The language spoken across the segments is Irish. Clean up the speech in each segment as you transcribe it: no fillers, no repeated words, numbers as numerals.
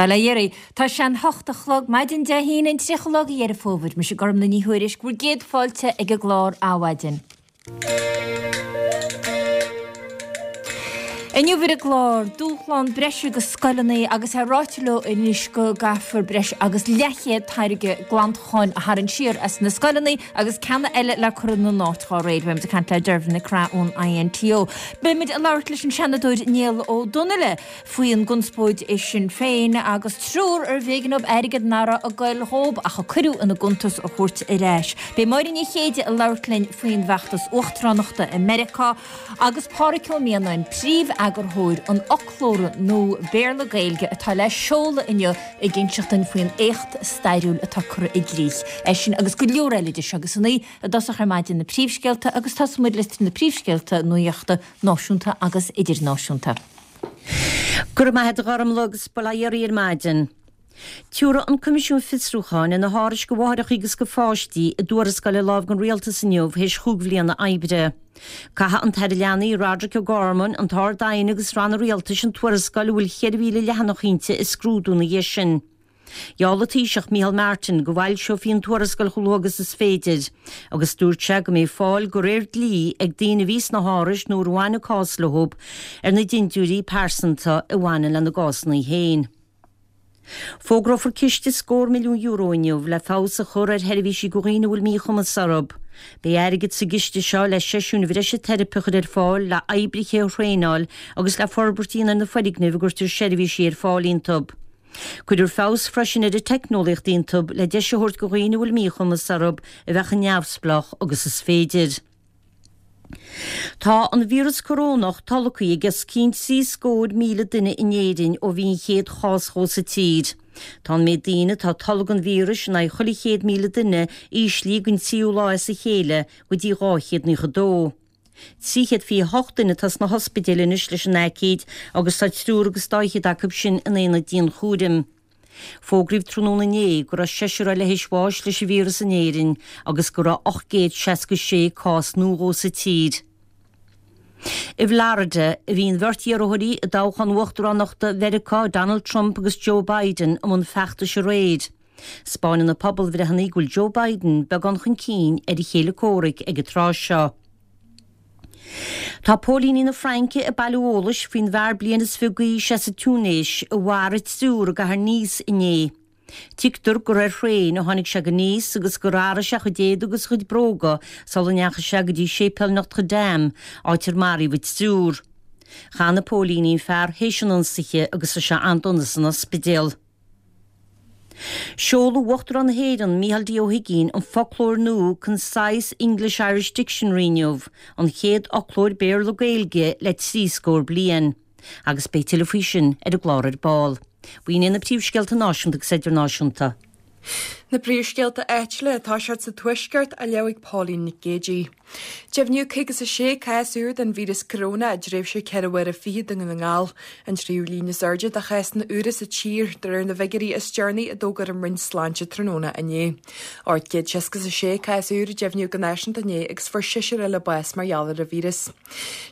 Bail ó Dhia oraibh. Tá sé an hocht a chlog maidin Dé hAoine an 30 lá de Dheireadh Fómhair. Mise Gormlaith Ní Thuairisg, bhur gcéad fáilte ag an gclár Adhmhaidin. Inniu ar an gclár, dúshlán breise do scoileanna agus é ráite leo anois go gcaithfear breis agus leathchéad táirge glantacháin a tharraingt siar as na scoileanna agus ceanna eile le cur ina n-áit dá réir. Beimid ag caint le Dervla McGrath ón INTO. Beimid ag labhairt leis an Seanadóir Niall Ó Donnaile. faoin gconspóid i Sinn Féin agus triúr arbh éigean dóibh airgead nach raibh ag goil dhób ach a cuireadh ina gcuntas a thabhairt ar ais. Beidh Máire Ní Chéide ag labhairt linn faoin bhfeachtas uachtaránachta i Meiriceá agus Pádhraic Ó Mianáin, príomh-eagarthóir an fhoclóra nua Béarla-Gaeilge atá le seoladh inniu ag inseacht dúinn faoin éacht stairiúil atá curtha i gcrích eisean agus go leor eile de seo agus san í i dtosach ar maidin na príomhscéalta agus tosóidh muid leis na príomhscéalta nuachta náisiúnta agus idirnáisiúnta. Go raibh maith a't a Ghormlaith agus bail ó Dhia oraibh ar maidin. Tiúrfaidh an Coimisiún Fiosrúcháin ar na hárais go mháithreacha agus go pháistí a dtuarascáil ar láimh don Rialtas inniu théis chúig bhliana oibre. Caithfidh an tAire Leanaí Roderic O'Gorman, an tArd-Aighne agus ranna Rialtais an tuarascáil a bhfuil 4,000 leathanach inti a scrúdú ina dhiaidh sin. Gheall an Taoiseach Micheál Martin go bhfoilseofaí an tuarascáil chomh luath agus is féidir, agus dúirt sé go mbeidh fáil de réir dlí ag daoine a bhí sna hárais nó ar bhain an cás leo ar na dintiúirí pearsanta a bhaineann lena gcásanna féin. Fógrófar ciste scór milliún euro inniu le feabhas a chur ar sheirbhísí do dhaoine a bhfuil míchumas orthu. Beidh airgead sa gciste seo le seisiúin bhreise teiripe a chur ar fáil, le oibrithe a thraenáil agus le forbairt a dhéanamh ar na foirgnimh a gcuirtear seirbhísí ar fáil iontu. Cuirfear feabhas freisin ar an teicneolaíocht iontu le deis a thabhairt do dhaoine a bhfuil míchumas orthu a bheith chomh neamhspleách agus is féidir. Tá an víreas corónach tolgtha ag os cionn 73,000 duine in Éirinn ó bhí an chéad chás dhó sa tír. Tá an méid daoine atá ag tolgadh an víris in aghaidh chuile 100,000 duine íslithe don tríú lá as a chéile go dtí 292. 328 duine atá sna hospidéil anois leis an aicíd agus tá triúr agus dá fhichead acu sin in aonad dianchúraim. Fógraíodh tráthnóna inné go raibh seisear eile théis bháis leis an víreas in Éirinn agus go raibh 866 cás nua dhó sa tír. I bhFlorida a bhí an bheirt iarrthóirí i dtoghchán uachtaránachta Mheiriceá, Donald Trump agus Joe Biden, i mbun feachtais aréir. 'Spáineann na pobalbhreitheanna go bhfuil Joe Biden beagán chun cinn ar a chéile comhraic ag an tráth seo. Tá póilíní na Fraince ag bailiú eolais faoin bhfear bliain is fiche d'aois as an Túinéis a mharaigh triúr i gcathair Nice inné. Tuigtear gur ar thraein a tháinig sé go Nice agus gur athraigh sé a chuid éadaigh agus a chuid bróga sula ndeachaigh sé go dtí séipéal Notre Dame, áit ar maraíodh an triúr. Chan na póilíní an fear théis an ionsaithe agus tá sé an-dona san ospidéal. Seolfaidh Uachtarán na hÉireann, Micheál D. Ó hUigínn, an foclóir nua Concise English-Irish Dictionary inniu, an chéad fhoclóir Béarla-Gaeilge le trí scór bliain. Agus beidh tuilleadh faoi sin ar an gclár ar ball. B'in iad na príomhscéalta náisiúnta agus idirnáisiúnta. Na príomhscéalta áitiúla atá siad sa Tuaisceart á léamh ag Pauline Nic Géidigh. Deimhníodh 56 cás úr den víreas coróna i dtréimhse ceithre huaire fichead i nDún na nGall, an tríú líon is airde de chásanna úra sa tír, de réir na bhfigiúirí is deireanaí a d'fhógair an Roinn Sláinte tráthnóna inné. 866 cás úr a deimhníodh go náisiúnta inné agus fuair seisear eile bás mar gheall ar an víreas.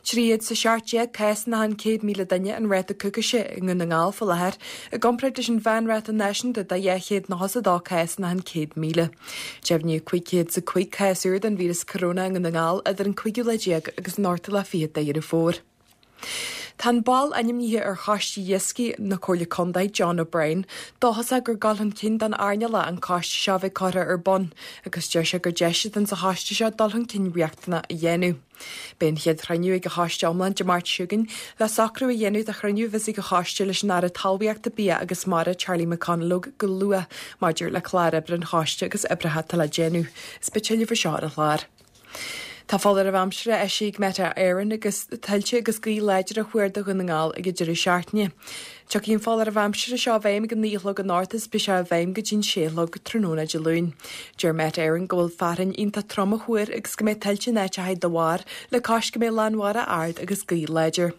317 cás in achan 100,000 duine an ráta coicíse i nDún na nGall faoi láthair, i gcomparáid leis an mheánráta náisiúnta de 292 cás in achan 100,000. Deimhníodh 505 cás úr den víreas coróna i nDún na nGall idir an cúigiú lá déag agus an ochtú lá fichead de Dheireadh Fómhair. Tá an ball ainmnithe ar Choiste Iascaigh na Comhairle Contae, John O'Brien, dóchasach gur dul chun cinn don earnáil é an coiste seo a bheith curtha ar bun agus deir sé gur deis atá sa choiste seo dul chun cinn riachtanach a dhéanamh. Beidh an chéad chruinniú ag an choiste iomlán Dé Máirt seo chugainn le socrú a dhéanamh do chruinniú a bheas ag an choiste leis an Aire Talmhaíochta, Bia agus Mara Charlie McConalogue go luath maidir le clár oibre an choiste agus oibreacha atá le déanamh. Is beidh tuilleadh faoi seo ar an chlár. Tá foláireamh aimsire eisithe ag Met Éireann agus tuilte agus gaoth láidir á thuar do Dhún na nGall ag an deireadh seachtaine. Tiocfaidh an foláireamh aimsire seo i bhfeidhm ag a 9 a chlog anocht is beidh sé i bhfeidhm go dtí an 6 a chlog tráthnóna Dé Luain. Deir Met Éireann go bhfuil fearthainn iontach trom á thuar agus go mbeidh tuilte in áiteacha dá bharr, le cois go mbeidh lánmhara ard agus gaoth láidir.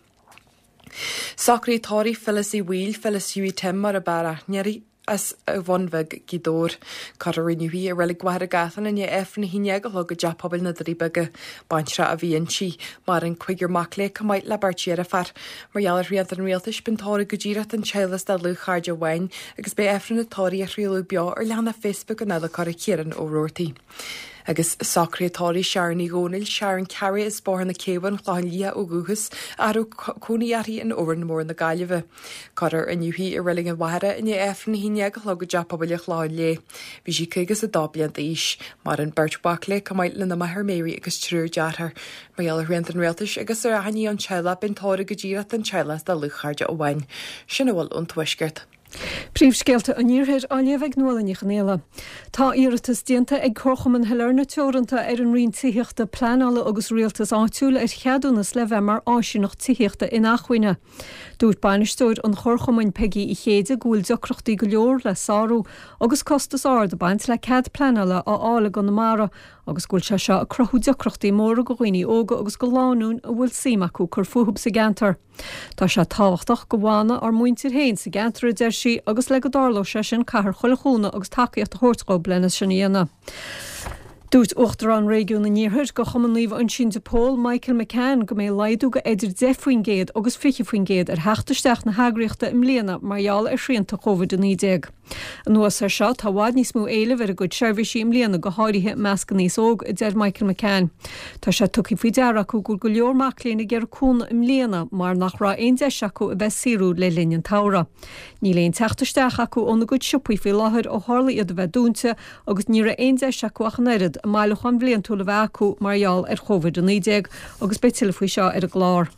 Socraíodh tórramh Phyllis Uí Bhaoill, Phyllis Hughie Tim mar ab fhearr aithne uirthi. As an Bhun Bheag, Gaoth Dobhair. Cuirfear inniu í i Reilig Mhachaire Gathlán i ndiaidh Aifreann 11 a chlog i dTeach Pobail na Doirí Beaga. Baintreach a bhí inti. Maireann cúigear mac léi chomh maith le beirt dheirféar. Mar gheall ar shrianta an rialtais, beidh an tórramh go díreach don teaghlach is do dhlúthchairde amháin agus beidh Aifreann an tórraimh á chraoladh beo ar leathanach Facebook an adhlacóra Ciarán Ó Roarty. Agus socruithe tórraimh Sharon Ní Dhomhnaill, Sharon Carey as Bóthar na Céibhe, An Clochán Liath ó dhúchas, ach a raibh cónaí uirthi in Órán Mór na Gaillimhe. Cuirfear inniu í i Reilig an Mhachaire i ndiaidh Aifreann 11 a chlog i dTeach Pobail an Chlocháin Léith. Bhí sí 52 bliain d'aois. Maireann beirt mhac léi chomh maith lena máthair Mary agus triúr dearthár. Mar gheall ar shrianta an rialtais agus ar achainí ón teaghlach beidh an tórramh go díreach don teaghlach is do dhlúthchairde amháin. Sin a bhfuil ón Tuaisceart. Príomhscéalta an Iarthair á léamh ag Nuala Ní Chonghaile. Tá iarratas déanta ag Comharchumann Shailearna Teoranta ar an Roinn Tithíochta, Pleanála agus Rialtais Áitiúil ar cheadúnas le bheith mar áisíneacht tithíochta inacmhainne. Dúirt bainisteoir an Chomharchumainn, Peigí Uí Chéide, go bhfuil deacrachtaí go leor le sárú agus costas ard ag baint le cead pleanála a fháil i gConamara agus go bhfuil sé seo ag cruthú deacrachtaí móra go dhaoine óga agus go lánúin a bhfuil suim acu cur fúthu sa gceantar. Tá sé tábhachtach go bhfanadh ár muintir féin sa gceantar, a deir sí, agus le go dtarlódh sé sin caithfear chuile chúnamh agus tacaíocht a thabhairt dhób lena sin a dhéanamh. Dúirt Uachtarán Réigiún an Iarthair go Chumann Naomh Uinseann de Pól, Michael McCann, go mbeidh laghdú go eidir 10% agus 20% ar theacht isteach na heagraíochta i mbliana mar gheall ar shrianta Covid-19. Anuas air seo, tá i bhfad níos mó éilimh ar a gcuid seirbhísí i mbliana, go háirithe i measc an aos óg, a deir Michael McCann. Tá sé tugtha faoi deara acu go bhfuil go leor mac léinn ag iarraidh cúnamh i mbliana mar nach raibh aon deis acu a bheith ag saothrú le linn an tsamhraidh. Níl aon teacht isteach acu óna gcuid siopaí faoi láthair ó tharla iad a bheith dúnta agus ní raibh aon deis acu ach an oiread a mbailiúchán bhliantúil a bheith acu mar gheall ar Covid-19 agus beidh tuilleadh faoi seo ar an gclár.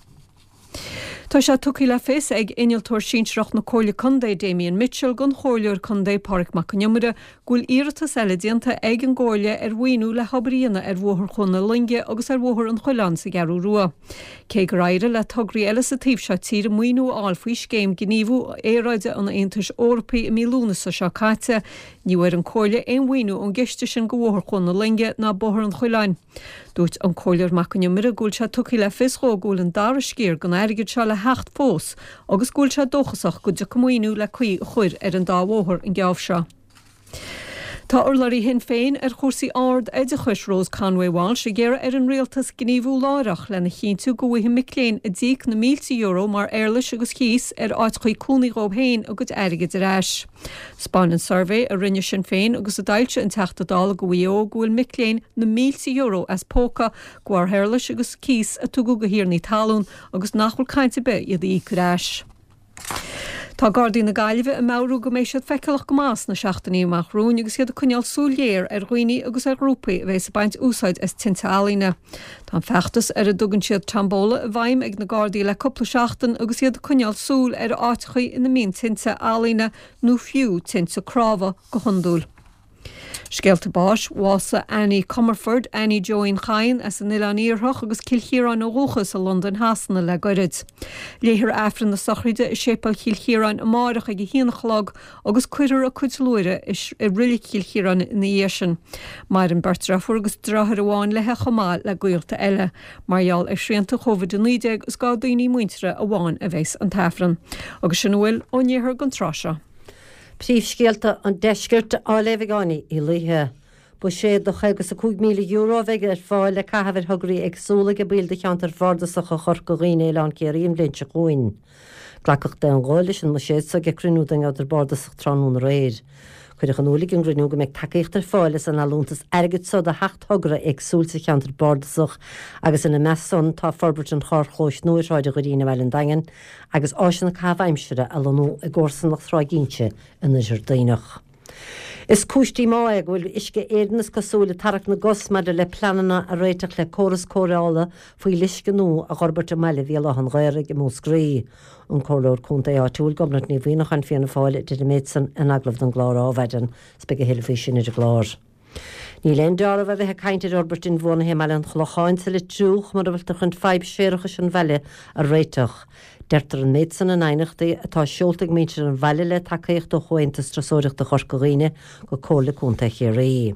Tá sé tugtha le fios ag Innealtóir Sinsearach na Comhairle Contae, Damien Mitchell, don Chomhairleoir Contae, Pádraig Mac Con Iomaire, go bhfuil iarratas eile déanta ag an gComhairle ar mhaoiniú le hobair a dhéanamh ar Bhóthar Chuan na Loinge agus ar Bhóthar an Choileáin sa gCeathrú Rua. Cé gur éirigh le tograí eile sa taobh seo tíre maoiniú a fháil faoi Scéim Gníomhú Aeráide an Aontais Eorpaigh i mí Lúnasa seo caite, ní bhfuair an Comhairle aon mhaoiniú ón gciste sin go Bhóthar Chuan na Loinge ná Bóthar an Choileáin. Dúirt an Comhairleoir Mac Con Iomaire go bhfuil sé tugtha le fios dhó go bhfuil an dara sciar den airgead seo le theacht fós agus go bhfuil sé dóchasach go dtiocfaidh maoiniú le caoi a chur ar an dá bhóthar an geábh seo. Tá urlabhraí Shinn Féin ar chúrsaí ard-oideachais, Rose Conway Walsh, ag iarraidh ar an rialtas gníomhú láithreach lena chinntiú go bhfaighidh mic léinn a d'íoc na mílte euro mar éarlais agus chíos ar áiteachaí cónaí dhóibh féin a gcuid airgid ar ais. 'Spáineann suirbhé a rinne Sinn Féin agus a d'fhoilsigh an Teachta Dála go Mhaigh Eo go bhfuil mic léinn na mílte euro as póca de bharr éarlais agus cíos a tugadh go thiarnaí talún agus nach bhfuil caint ar bith iad a íoc ar ais. Tá Gardaí na Gaillimhe ag meabhrú go mbeidh siad feiceálach go maith sna seachtainí amach romhainn agus iad ag coinneáil súil ghéar ar dhaoine agus ar ghrúpaí a bheas ag baint úsáid as tinte ealaíne. Tá an feachtas ar a dtugann siad Tombola i bhfeidhm ag na Gardaí le cúpla seachtain agus iad ag coinneáil súil ar áiteachaí ina mbíonn tinte ealaíne nó fiú tinte cnámha go hiondúil. Scéalta báis, Bhásaigh Annie Comerford, Annie Joeín Chadhain, as an Oileán Iarthach agus Cill Chiaráin ó dhúchas i Londain Shasana le goirid. Léifear Aifreann na sochraide i Séipéal Chill Chiaráin amáireach ag a haon a chlog agus cuirfear a cuid luaithre i Reilig Chill Chiaráin ina dhiaidh sin. Maireann beirt deirfiúr agus deartháir amháin léi chomh maith le gaolta eile. Mar gheall ar shrianta Covid-19 is do dhaoine muinteartha amháin a bheas an tAifreann. Agus sin a bhfuil ón iarthar don tráth seo. Príomhscéalta an Deiscirt á léamh ag Áine Uí Laoithe. Buiséad de €55,000 a bheidh ar fáil le caitheamh ar thograí éagsúla ag baill de cheantair bhardasacha Chorca Dhuibhne Oileán Ciarraí an bhliain seo chugainn. Glacadh d'aon ghuth leis an mbuiséad so ag cruinniú den gceantar bardasach tráthnóna aréir. Cuireadh in iúl ag an gcruinniú go mbeidh tacaíocht ar fáil as an allúntas airgid so do sheacht thogra éagsúil sa cheantar bardasach agus ina measc san tá forbairt an charrchlóis nua ar Shráid an Dhoirín i mBaile an Daingin agus áiseanna caitheamh aimsire a lonnú i gcomharsanacht Thrá Ginse in Oirthear Duibhneach. Is cúis díomá é go bhfuil Uisce Éireann is cosúil ag tarrac na gcos maidir le pleananna a réiteach le córas cóireála fuíolluisce nua a dh'fhorbairt i mbaile Bhéal Átha an Ghaorthaidh i Múscraí. An Comhairleoir Contae áitiúil, Gobnait Ní Mhuimhneacháin, Fianna Fáil, a deir an méid san in agallamh don gclár Ádhmhaidin. 'S beidh a thuilleadh faoi sin ar an gclár. Níl aon dealramh a bheith ag caint ar fhorbairt inbhuanaithe i mBaile an Chlocháin sa Leitriúch mura bhfuiltear chun fadhb séarachais an bhaile a réiteach. Deirtear an méid san in aighneachtaí atá seolta ag muintir an bhaile le tacaíocht ó Chomhaontas Turasóireachta Chorca Dhuibhne go Comhairle Contae Chiarraí.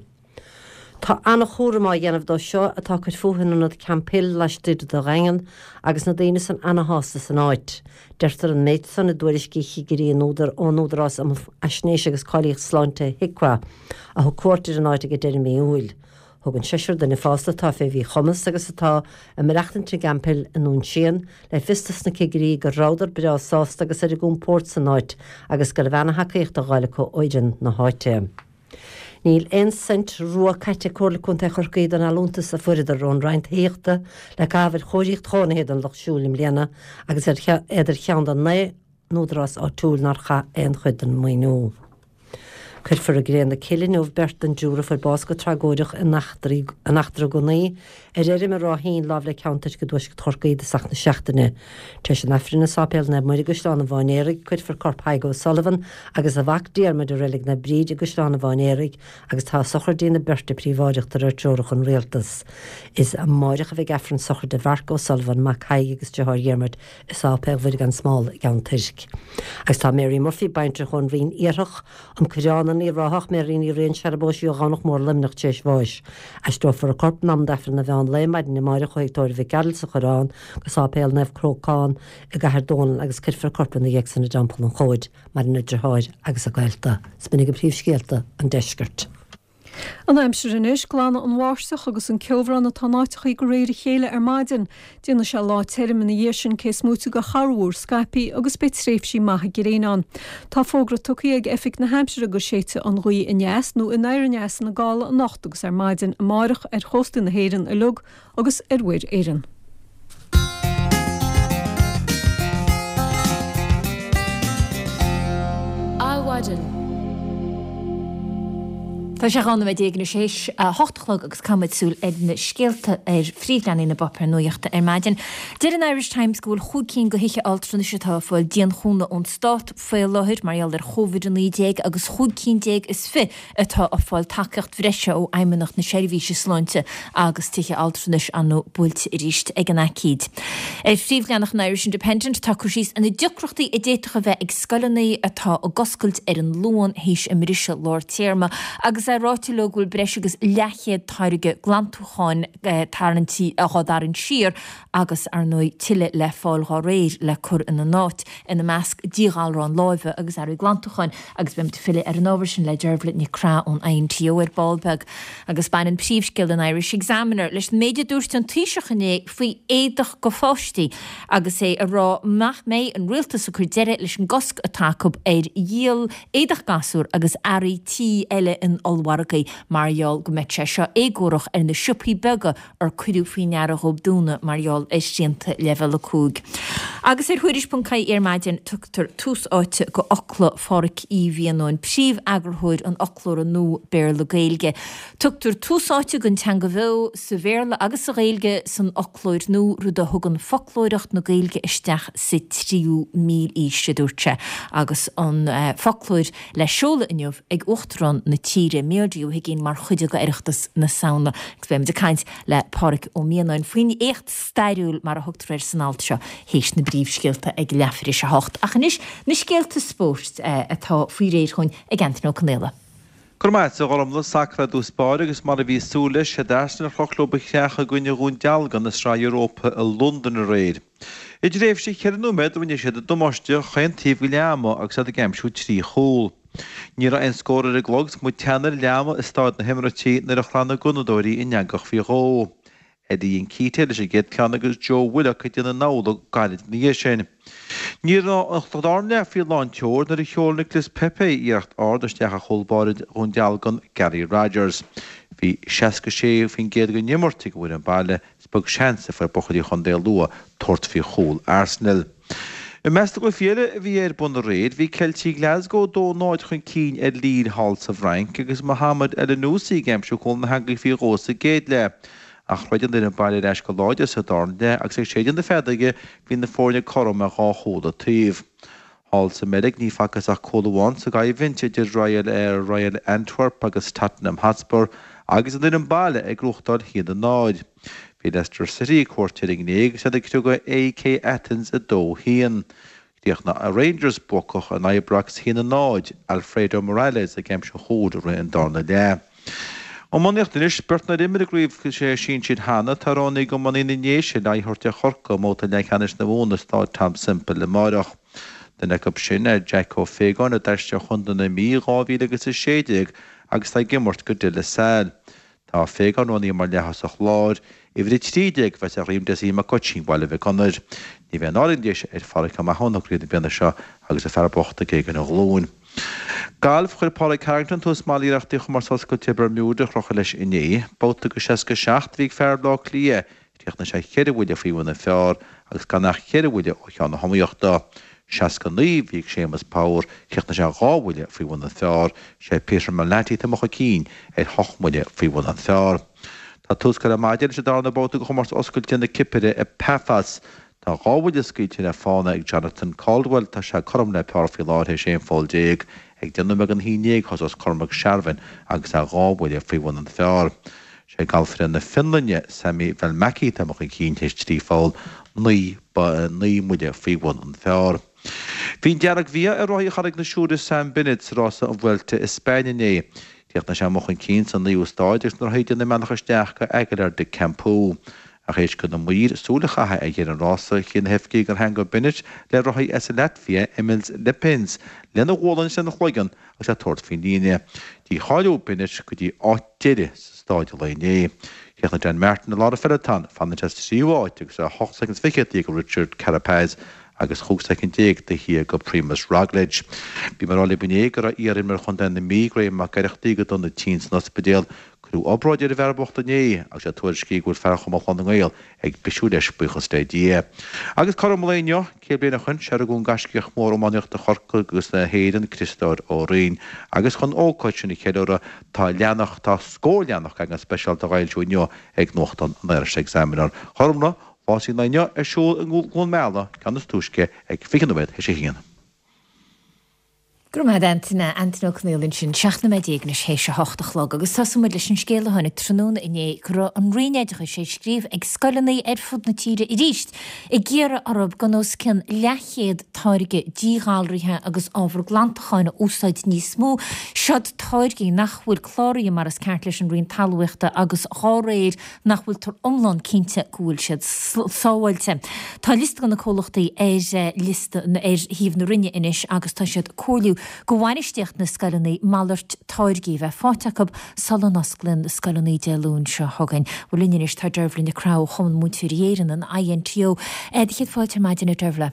Tá ana-chúram á dhéanamh dóibh seo atá ag cur fúthu in ionad Camphill laistigh de Dhaingean agus na daoine san ana-shásta san áit. Deirtear an méid san i dtuairiscí chigirí an údar ón Údarás um Fhaisnéis agus Cáilíocht Sláinte, HIQA, a thug cuairt ar an áit ag deireadh mí Iúil. Thug an seisear duine fásta atá fé mhíchumas agus atá ag maireachtaint i gCamphill i nDún Síon le fios dos na cigirí go rabhadar breá sásta agus ar a gcompórd san áit agus go raibh ana-thacaíocht á fháil acu ó fhoireann na háite. Níl aon cent rua caite ag Comhairle Contae Chorcaí den allúntas a fuaireadar ón Roinn Tithíochta le caitheamh ar chóiríocht chónaithe don lucht siúil i mbliana agus iad ar cheann de 9 n-údarás áitiúil nár chaith aon chuid den maoiniú. Cuirfear i gcré na cille inniu beirt den dtriúr a fuair bás go tragóideach in eachtra gunnaí ar fheirm i Ráth Fhinn láimh le Ceann Toirc i dtuaisceart Chorcaí i dtosach na seachtaine. Tar éis an Aifrinn i Sáipéal Naomh Muire i gCaisleán an Bháin-Éaraigh, cuirfear corp Thaidhg O'Sullivan agus a mhac Diarmuid i Reilig Naomh Bríd i gCaisleán an Bháin-Éaraigh agus tá sochraidí na beirte príobháideach de réir treorach an Rialtas. Is amáireach a bheidh Aifreann sochraide Mharc O'Sullivan, mac Thaidhg agus deartháir Dhiarmuid, i Sáipéal Mhuire gan Smál i gCeann Toirc. Agus tá Mary Murphy, baintreach ón Rinn Iarthach, An Coireán, an Uíbh Ráthach, Mary Ní Riain, searbóis í ó Dhomhnach Mór, Luimneach, tar éis bháis. Aistreofar a corp in am d'Aifreann an mheán lae maidin amáireach ó Thigh Tórraimh Mhic Gearailt sa Choireán go Sáipéal Naomh Crócán i gCathair Dónall agus cuirfear a corp ina dhiaidh san i dTeampall an Chóid. Maireann a deartháir agus a gaolta. 'S b'in agaibh príomhscéalta an deiscirt. An aimsir anois, Glanfaidh an bháisteach agus an ceobhrán atá in áiteachaí de réir a chéile ar maidin. Déanfaidh sé lá tirim ina dhiaidh sin cé is móite de chorrmhúr scaipthe agus beidh tréimhsí maithe gréine ann. Tá fógra tugtha ag Oifig na hAimsire go séidfidh an ghaoth aneas nó anoir aneas ina gála anocht agus ar maidin amárach ar chóstaí na hÉireann uilig agus ar Mhuir Éireann. Adhmhaidin. Tá sé 12 nóiméad anois théis a hocht a chlog agus caithfimid súil ar na scéalta ar phríomhleathanaigh na bpáipéar nuachta ar maidin. Deir an Irish Times go bhfuil chúig cinn de thithe altranais atá ag fáil dianchúnamh ón stát faoi láthair mar gheall ar Covid-19 agus chúig cinn déag is fi atá ag fáil tacaíocht bhreise ó Fheidhmeannacht na Seirbhíse Sláinte agus tithe altranais ar ndóigh buailte arís ag an aicíd. Ar phríomhleathanach an Irish Independent tá cur síos ar na deacrachtaí a d'fhéadfadh a bheith ag scoileanna atá ag oscailt ar an Luan théis a mbriseadh lár téarma agus é ráite leo go bhfuil breis agus leathchéad táirge glantúcháin tarraingtí á dtarraingt siar agus ar ndóigh tuilleadh le fáil dhá réir le cur ina n-áit, ina measc díghalrán láimhe agus earraí glantúcháin, agus beimid ag filleadh ar an ábhar sin le Dervla Nic Craith ón INTO ar ball beag. Agus baineann príomhscéal an Irish Examiner leis an méid a dúirt an Taoiseach inné faoi éadach go pháistí agus é ag rá nach mbeidh an rialtas ag cur deireadh leis an gcosc atá acu ar dhíol éadach gasúr agus earraí tí eile in ollmhargaí mar gheall go mbeadh sé seo éagórach ar na siopaí beaga ar cuireadh faoi ndeara dhóibh dúnadh mar gheall ar shrianta Leibhéal 5. Agus ar Thuairisc.ie ar maidin tugtar tús áite go fhocla Phádhraic Uí Mhianáin, príomh-eagarthóir an fhoclóra nua Béarla-Gaeilge. Tugtar tús áite don teanga bheo sa Bhéarla agus sa Ghaeilge san fhoclóir nua, rud a thugann foclóireacht na Gaeilge isteach sa tríú mílaois, a dúirt sé, agus an foclóir le seoladh inniu ag Uachtarán na tíre, Micheál D. Ó hUigínn mar chuid de Oireachtas na Samhna. Agus beimid ag caint le Pádhraic Ó Mianáin faoin éacht stairiúil, mar a thugtar air san alt seo, théis na bpríomhscéalta ag leathuair théis a hocht. Ach anois, na scéalta spóirt atá faoi réir chugainn ag Anthony Ó Conaola. Go raibh maith agat, a Ghormlaith, sacar i dtús báire agus mar a bhí súil leis, siad Arsenal a chroch leo a chreach i gcoinne Dhún Dealgan i Sraith Europa i Londain aréir. I dtréimhse cheithre nóiméad rinne siad damáiste chaon taobh de leath ama agus iad ag aimsiú 3 chúl. Ní raibh aon scór ar an gclog is muid teannadh ar leath ama i Stáid na hEimiréití nuair a shlan na Gunnadóirí an eangach faoi dhó. Eddie Nketiah leis an gcéad cheann agus Joe Willock ag déanamh amhlaidh gairid ina dhiaidh sin. Ní raibh an dara leath faoi lán tseoil nuair a sheol Nicolas Pepe iarracht ard isteach ar chúl báire Dhún Dealgan, Gary Rogers. Bhí 66% den imirt ag an bhfoireann baile Is beag seans a fuair buachaillí Chontae Lú tabhairt faoi chúl Arsenal. I measc na gcluichí eile a bhí ar bun aréir, bhí Ceiltigh Glasgow 2-0 chun cinn ar Lille thall sa bhFrainc agus Mohamed Elyounoussi ag aimsiú chúl na heangaí faoi dhó sa gcéad leath. Ach throid an fhoireann baile ar ais go láidir sa darna leath agus ag séideadh na feadóige bhí na foirne cothrom ar dhá chúl an taobh. Thall sa mBeilg ní facthas ach cúl amháin sa gcoimhlint idir Royal Royal Antwerp agus Tottenham Hotspur agus an fhoireann baile ag gnóthachtáil 1-0. Bhí Leicester City ag cuairt ar an nGréig agus iad ag criogadh AEK Athens 2-1. Chríochnaigh Rangers buacach in Ibrox 1-0, Alfredo Morales ag aimsiú an chúil i rith an darna leath. Iománaíocht anois, beirt nár imir i gcraobh sinsir cheana, tá roghnaithe ag iománaí na nDéise le aghaidh a thabhairt ar Chorcaigh i mbabhta leathcheannais na Mumhan i Stáid Tom Semple amáireach. Duine acu sin ná Jeaic Ó Faogáin a d'aistrigh ó chontae na Mí i 2016 agus atá ag imirt go De La Salle. Tá Ó Faogáin roghnaithe mar leath-thosach láir. Uimhir 13 a bheas ar dhroim Dessie Mac Oisín Bhaile Mhic Gonair. Ní bheidh an ádh le na Déise ar Phádraic Ó Mathúna i gcraobh na bliana seo agus an fear bocht ag éag ina ghlúin. Galf, Chuir Pádraig Harrington tús maith le hiarrachtaí Chomórtas Oscailte Bermuda a chrochadh leis inné. Babhta go 67 a bhí ag fear Bhaile Átha Cliath. Chríochnaigh sé cheithre bhuille faoi bhun an phar agus gan ach cheithre bhuille ó cheann na hiomaíochta. 69 a bhí ag Séamus Power, chríochnaigh sé dhá bhuille faoi bhun an phar. Sé Peter Malnati atá amuigh chun cinn ar hocht mbuille faoi bhun an phar. Tá tús curtha ar maidin leis an darna babhta de Chomórtas Oscailte na Cipire i Paphos. Tá dhá bhuille scaoilte le fána ag Jonathan Caldwell, tá sé cothrom le par faoi láthair théis 11 pholl. Ag 10 nóiméad don 11 thosós Cormac Sharvin agus é dhá bhuille faoi bhun an phar. Sé galfaire na Fionlainne, Sami Välimäki atá amuigh chun cinn théis 3 pholl, 9 mbuille faoi bhun an phar. Bhí an dearg-mhí-ádh ar rothaí Charraig na Siúire Sam Bennett sa rása an Vuelta i Spainn inné. Chríochnaigh sé amuigh chun cinn sa naoú stáid agus na rothaí ag déanamh a mbealach isteach go Aguilar de Campoo. Ach théis do na maoir súil a chaitheamh ar dheireadh an rása, chinn na hoifigigh gur theangaigh Bennett le rothaí as an Laitvia, Emils Liepins, lena ghualainn is lena chloigeann agus é ag tabhairt faoin líne. Dícháilíodh Bennett go dtí áit deiridh sa stáid an lae inné. Chríochnaigh Dan Martin i lár an pheloton, fanann sé sa tríú háit agus é 8 soicind is fichead taobh thiar de Richard Carapaz agus 15 soicind taobh thiar de Primoz Roglic. Bhí mé ag rá libh inné go raibh iar-imreoir chontae na Mí, Graham Mac Oireachtaigh, go dona tinn san ospidéal. Cuireadh obráid ar an bhfear bocht inné agus é tuairiscithe go bhfuil fear Chumann Chlann na nGael ag bisiú leis, buíochas le Dia. Agus cothrom an lae inniu, 100 bliain ó shoin, sé a rugadh an gaiscíoch mór iománaíochta Chorcaí agus na hÉireann, Criostóir Ó Rinn. Agus chun an ócáid sin a cheiliúradh, tá leathanach, tá scór leathanach eagrán speisialta á fhoilsiú inniu ag nuachtán an Irish Examiner. A Ghormfhlaith, Rásaí an lae inniu ar siúl i gCluain Meala, ceann is túisce ag 20 nóiméad théis a haon. Go raibh maith agat Antaine, Antaine Ó Conghaile ansin, 17 nóiméad anois théis a hocht a chlog agus tosóidh muid leis an scéal a tháinig tráthnóna inné go raibh an Roinn Oideachais ag scríobh ag scoileanna ar fud na tíre arís ag iarraidh orthu gan os cionn leathchéad táirge díghalraithe agus ábhar glantacháin a úsáid níos mó. Seod táirgí nach bhfuil cláraithe mar is ceart leis an Roinn Talmhaíochta agus dhá réir nach bhfuiltear iomlán cinnte go bhfuil siad sábháilte. Tá liosta de na comhlachtaí ar liosta ar shuíomh na Roinne anois agus tá siad ag comhairliú go bhainistíocht na scoileanna malairt táirgí a bheith faighte acu sula n-osclaíonn na scoileanna Dé Luain seo chugainn. Bhuel linn anois tá Deirbhile Nic Craith ó Chumann Múinteoirí Éireann, an INTO. Do chéad fáilte ar maidin, a Deirbhile.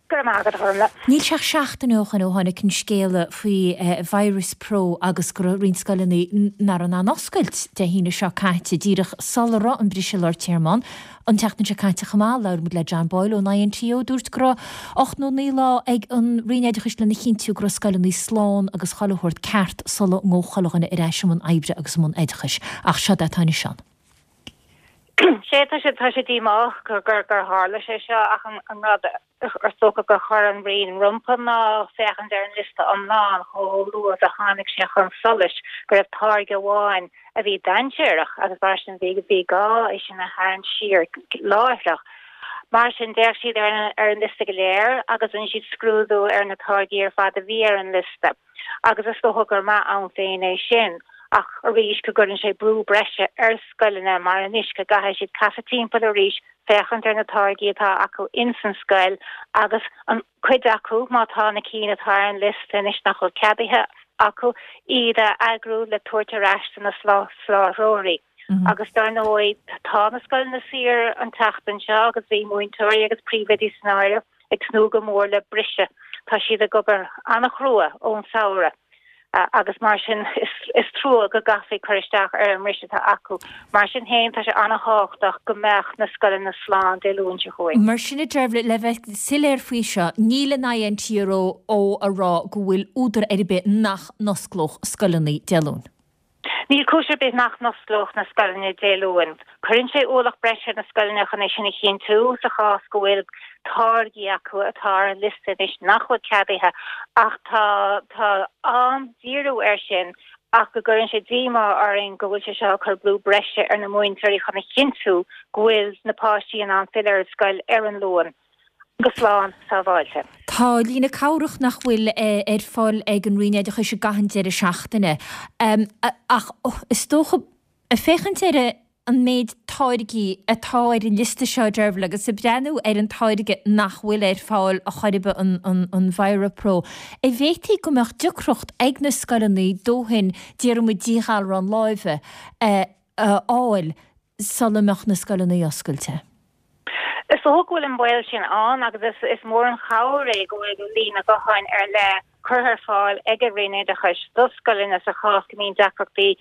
Go raibh maith agat, a Ghormfhlaith. Níl sé ach seachtain ó shoin ó tháinig an scéala faoi Virus Pro agus go raibh roinnt scoileanna nach raibh in ann oscailt Dé hAoine seo caite, díreach sula raibh an briseadh lár téarma ann. An tseachtain seo caite chomh maith, labhair muid le John Boyle ón INTO, dúirt go raibh 8 nó 9 lá ag an Roinn Oideachais lena chinntiú go raibh scoileanna slán agus chuile shórt ceart sula ngabhadh chuile dhuine ar ais i mbun oibre agus i mbun oideachais. Ach seod é atá anois ann. Sea, tá sé, tá sé díomách gur, gur, gur tharla sé seo ach an, an rud is dócha gur chuir an Roinn rompu ná féachaint ar an liosta iomlán chomh luath is a tháinig sé chun solais go raibh táirge amháin a bhí dainséarach agus mar sin bhí, bhí gá é sin a tharraingt siar láithreach. Mar sin d'fhéach siad ar an, ar an liosta go léir agus rinne siad scrúdú ar na táirgí ar fad a bhí ar an liosta. agus is dócha gur maith ann féin é sin, ach arís go gcuireann sé brú breise ar scoileanna mar anois go gcaithfidh siad casadh timpeall arís, féachaint ar na táirgí atá acu ins an scoil agus an cuid acu, má tá na cinn atá ar an liosta anois nach bhfuil ceadaithe acu, iad a eagrú le tabhairt ar ais do na soláthróirí. Agus dar ndóigh tá na scoileanna saor an tseachtain seo agus bhí múinteoirí agus príomhoidí san áireamh, ag tnúth go mór le briseadh. Tá siad ag obair an-chrua ón samhradh agus mar sin is trua go gcaithfí cur isteach ar an mbriseadh atá acu. Mar sin féin, tá sé an-thábhachtach go mbeadh na scoileanna slán Dé Luain seo chugainn. Mar sin, a Deirbhile, le bheith soiléir faoi seo, níl an INTRO a rá go bhfuil údar ar bith nach n-osclódh scoileanna Dé Luain. Níl cúis ar bith nach n-osclódh na scoileanna Dé Luain. Cuireann sé ualach breise ar na scoileanna chun é sin a chinntiú sa chás go bhfuil táirgí acu atá ar an liosta anois nach bhfuil ceadaithe ach tá tá an-díriú air sin ach go gcuireann sé díomá orainn go bhfuil sé seo ag cur brú breise ar na múinteoirí chun a chinntiú go bhfuil na páistí in ann filleadh ar an scoil ar an Luan. go slán sábháilte. Tá líne cabhrach nach bhfuil ar fáil ag an Roinn Oideachais i gcaitheamh an deireadh seachtaine. Ach is dócha. Ag féachaint ar an méid táirgí atá ar an liosta seo, a Deirbhile, agus ag breathnú ar an táirge nach bhfuil ar fáil a chor ar bith, an ViraPro, an bhféadfaí go mbeadh deacracht ag na scoileanna dóthain, déarfaidh muid, díghalrán láimhe a fháil sula mbeadh na scoileanna oscailte? Is dócha go bhfuil an baol sin ann agus is mór an chabhair é go bhfuil líne ghutháin ar leith curtha ar fáil ag an Roinn Oideachais do scoileanna sa chás go mbíonn deacrachtaí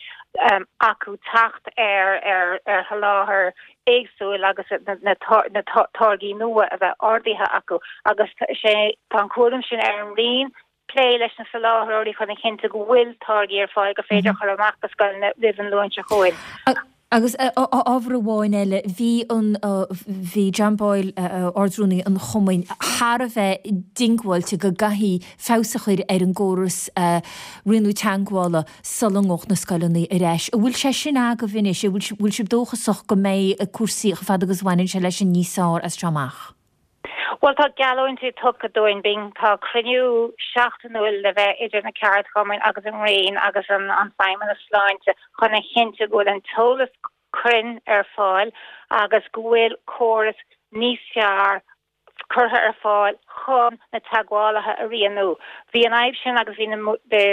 acu teacht ar ar sholáthar éagsúil agus na táirgí nua a bheith ordaithe acu agus tá an cúram sin ar an Roinn plé leis na soláthróirí chun a chinntiú go bhfuil táirgí ar fáil gur féidir a chur amach do scoileanna roimh an Luan seo chugainn. Agus ábhar amháin eile, bhí an, bhí John Boyle, Ard-Rúnaí an Chumainn, thar a bheith diongbháilte go gcaithfí feabhas a chur ar an gcóras rianú teagmhála sula ngabhadh na scoileanna ar ais. An bhfuil sé sin agaibh anois? An bhfuil sibh dóchasach go mbeidh cúrsaí chomh fada agus a bhaineann sé leis sin níos fearr as seo amach? Bhuel, tá geallúintí tugtha dúinn. Bíonn, tá cruinniú seachtainiúil le bheith idir na ceardchumainn agus an Roinn agus an Feidhmeannas Sláinte chun a chinntiú go bhfuil an t-eolas cruinn ar fáil agus go bhfuil córas níos fearr curtha ar fáil chun na teagmhálaithe a rianú. Bhí an fhadhb sin agus bhí na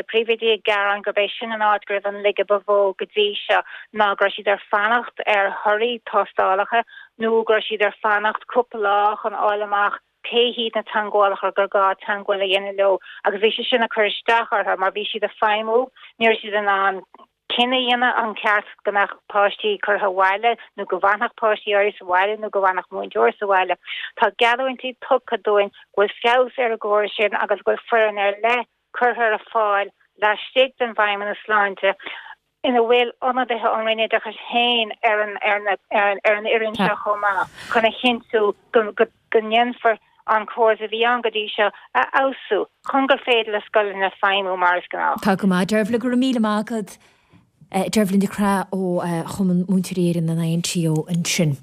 príomhoidí ag gearán gurb é sin an áit go raibh an laige ba mhó go dtí seo ná go raibh siad ar fanacht ar thorthaí tástálacha nó go raibh siad ar fanacht cúpla lá chun fháil amach cé hiad na teagmhálaithe gur gá teagmháil a dhéanamh leo agus bhí sé sin ag cur isteach orthu mar bhí siad ag feidhmiú, ní raibh siad in ann cinneadh a dhéanamh an ceart go mbeadh páistí curtha abhaile nó go bhfanfadh páistí áirithe sa bhaile nó go bhfanfadh múinteoir sa bhaile. Tá geallúintí tugtha dúinn go bhfuil feabhas ar an gcóras sin agus go bhfuil foireann ar leith curtha ar fáil laistigh den bhFeidhmeannas Sláinte ina bhfuil ionadaithe ón Roinn Oideachais féin ar an ar an fhoireann seo chomh maith chun a chinntiú go go ndéanfar an córas a bhí ann go dtí seo a fheabhsú chun gur féidir le scoileanna feidhmiú mar is gnách. Tá go maith, Deirbhile, go raibh míle maith agat. Deirbhile Nic Craith ó Chumann Múinteoirí Éireann, an INTO, ansin.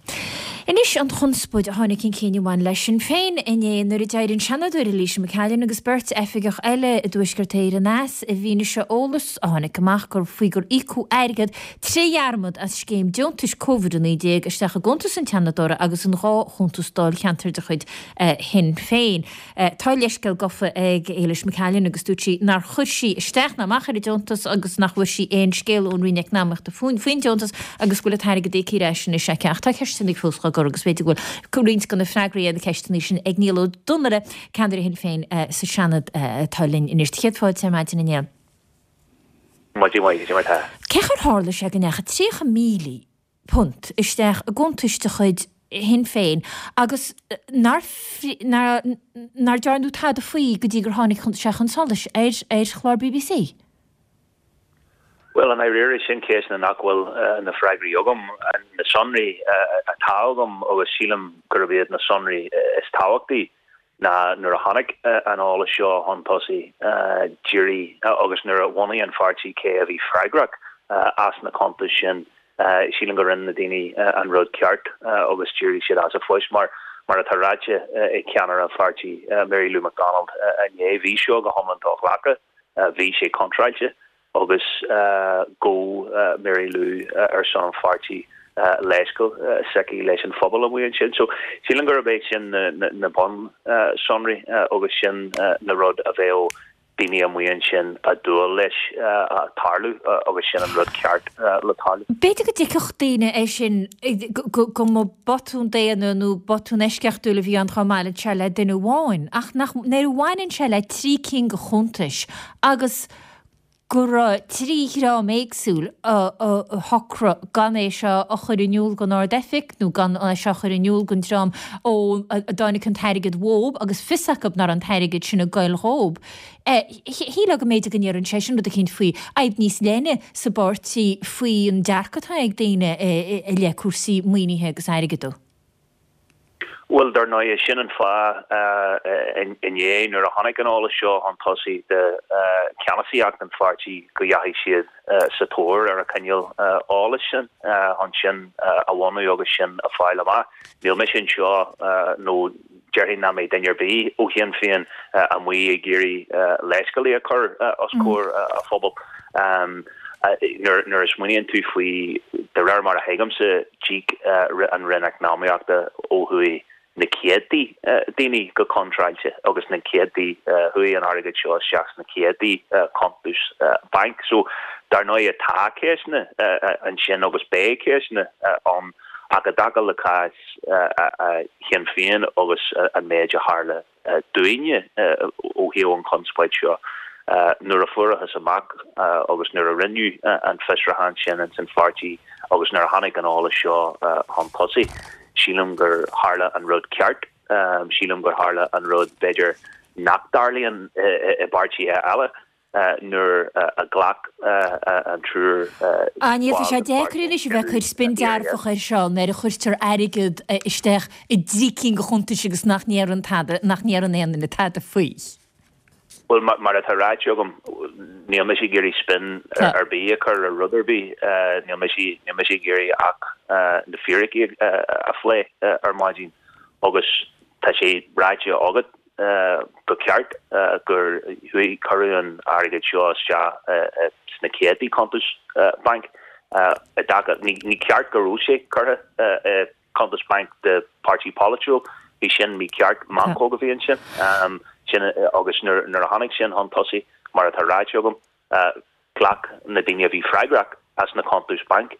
Anois an chonspóid a tháinig chun cinn a bhain le Sinn Féin inné nuair a d'éirigh an Seanadóir Eilíse McCallion agus beirt oifigeach eile i dTuaisceart Éireann as i bhfianaise eolas a tháinig amach gur faoi gur íocadh airgead tré dhearmad as scéim deontais Covid-19 isteach i gcuntas an tSeanadóra agus in 2 chuntas dáilcheantair de chuid Shinn Féin. Tá leithscéal gafa ag Éilis McCallion agus dúirt sí nár chuir sí isteach ná amach ar an deontas agus nach bhfuair sí aon scéala ón Roinn Eacnamaíochta faoin deontas agus go bhfuil an t-airgead íoctha ar ais anois aici. Ach tá ceisteanna fós á gcur agus b'fhéidir go bhfuil roinnt de na freagraí ar na ceisteanna sin ag Niall Ó Donnaile, ceannaire Shinn Féin sa Seanad atá linn anois. Céad fáilte ar maidin a Néill. Maidin mhaith, cad é mar tá? Cén chaoi ar tharla sé go ndeachaigh 30,000 punt isteach i gcuntais de chuid Shinn Féin agus nár nár dearnadh tada faoi go dtí gur tháinig sé chun solais ar ar chlár BBC? Bhuel, i ndáiríre, sin ceisteanna nach bhfuil na freagraí agam. Na sonraí atá agam, agus sílim gurb iad na sonraí is tábhachtaí, ná nuair a tháinig an eolas seo chun tosaigh, d'éirigh agus nuair a bhunaigh an pháirtí cé a bhí freagrach as na cuntais sin, sílim go rinne na daoine an rud ceart agus d'éirigh siad as a phoist. Mar mar atá ráite ag ceannaire an pháirtí, Mary Lou McDonald inné, bhí seo go hiomlán do-ghlactha, bhí sé contráilte. agus ghabh Mary Lou ar son an pháirtí leithscéal s'aici leis an phobal amuigh ansin. So sílim gurb é sin na bun-sonraí agus sin na rud a bheadh daoine amuigh ansin ag dúil leis tarlú agus sin an rud ceart le tarlú. B'fhéidir go dtuigfeadh daoine é sin go mba botún daonna nó botún eisceachtúil a bhí ann dá mbainfeadh sé le duine amháin ach nach nuair a bhaineann sé le trí cinn de chuntais agus go raibh 3 dhream éagsúil a shocraigh gan é seo a chur in iúl don Ard-Oifig nó gan é seo a chur in iúl don dream ó a dtáinig an t-airgead uathub agus fios acu nach raibh an t-airgead sin ag goil dhób. Shílfeá go mb'fhéidir go ndéarfainn sé sin rud eicínt faoi fhadhb níos leithne sa bpáirtí faoi an dearcadh atá ag daoine i leith cúrsaí maoinithe agus airgeadú. Bhuel, dar ndóigh, sin an fáth inné nuair a tháinig an eolas seo chun tosaigh do cheannasaíocht an pháirtí go dheachaigh siad sa tóir ar an chineál eolais sin chun sin a bhunú agus sin a fáil amach. Níl mise anseo nó déarfainn nach mbeidh duine ar bith ó Shinn Féin amuigh ag iarraidh leithscéalaí a chur os comhair an phobail. Nuair a smaoiníonn tú faoi, de réir mar a thuigimse, d'íoc an Roinn Eacnamaíochta ó thuaidh na céadtaí daoine go contráilte agus na céadtaí, chuaigh an airgead seo isteach sna céadtaí cuntas bainc. So, dar ndóigh tá ceisteanna ansin agus beidh ceisteanna ann ach i dtaca le cás Shinn Féin agus an méid a tharla dúinne ó thaobh an chonspóid seo. Nuair a fuarathas amach agus nuair a rinneadh an fiosrúchán sin ins an pháirtí agus nuair a tháinig an eolas seo chun tosaigh, sílim gur tharla an rud ceart. Sílim gur tharla an rud, b'fhéidir, nach dtarlaíonn i bpáirtithe eile. nuair a ghlac an triúr Ah, níl, tá sé deacair anois a bheith ag cur spin dearfach air seo nuair a chuirtear airgead isteach i dtrí cinn de chuntais agus nach ndéarann tada, nach ndéarann aon duine tada faoi. Bhuel, mar atá ráite agam, níl mise ag iarraidh spin ar bith a chur ar rud ar bith. Níl mise, níl mise ag iarraidh ach na fíricí a phlé ar maidin agus tá sé ráite agat go ceart gur chuaigh, cuireadh an airgead seo isteach sna céadtaí cuntas bainc i dtaca, ní ceart go raibh sé curtha i cuntas bainc de páirtí polaitiúil, bhí sin mícheart, meancóg a bhí ansin, sin agus nuair a tháinig sin chun tosaigh, mar atá ráite agam, Ghlac na daoine a bhí freagrach as na cuntais bainc,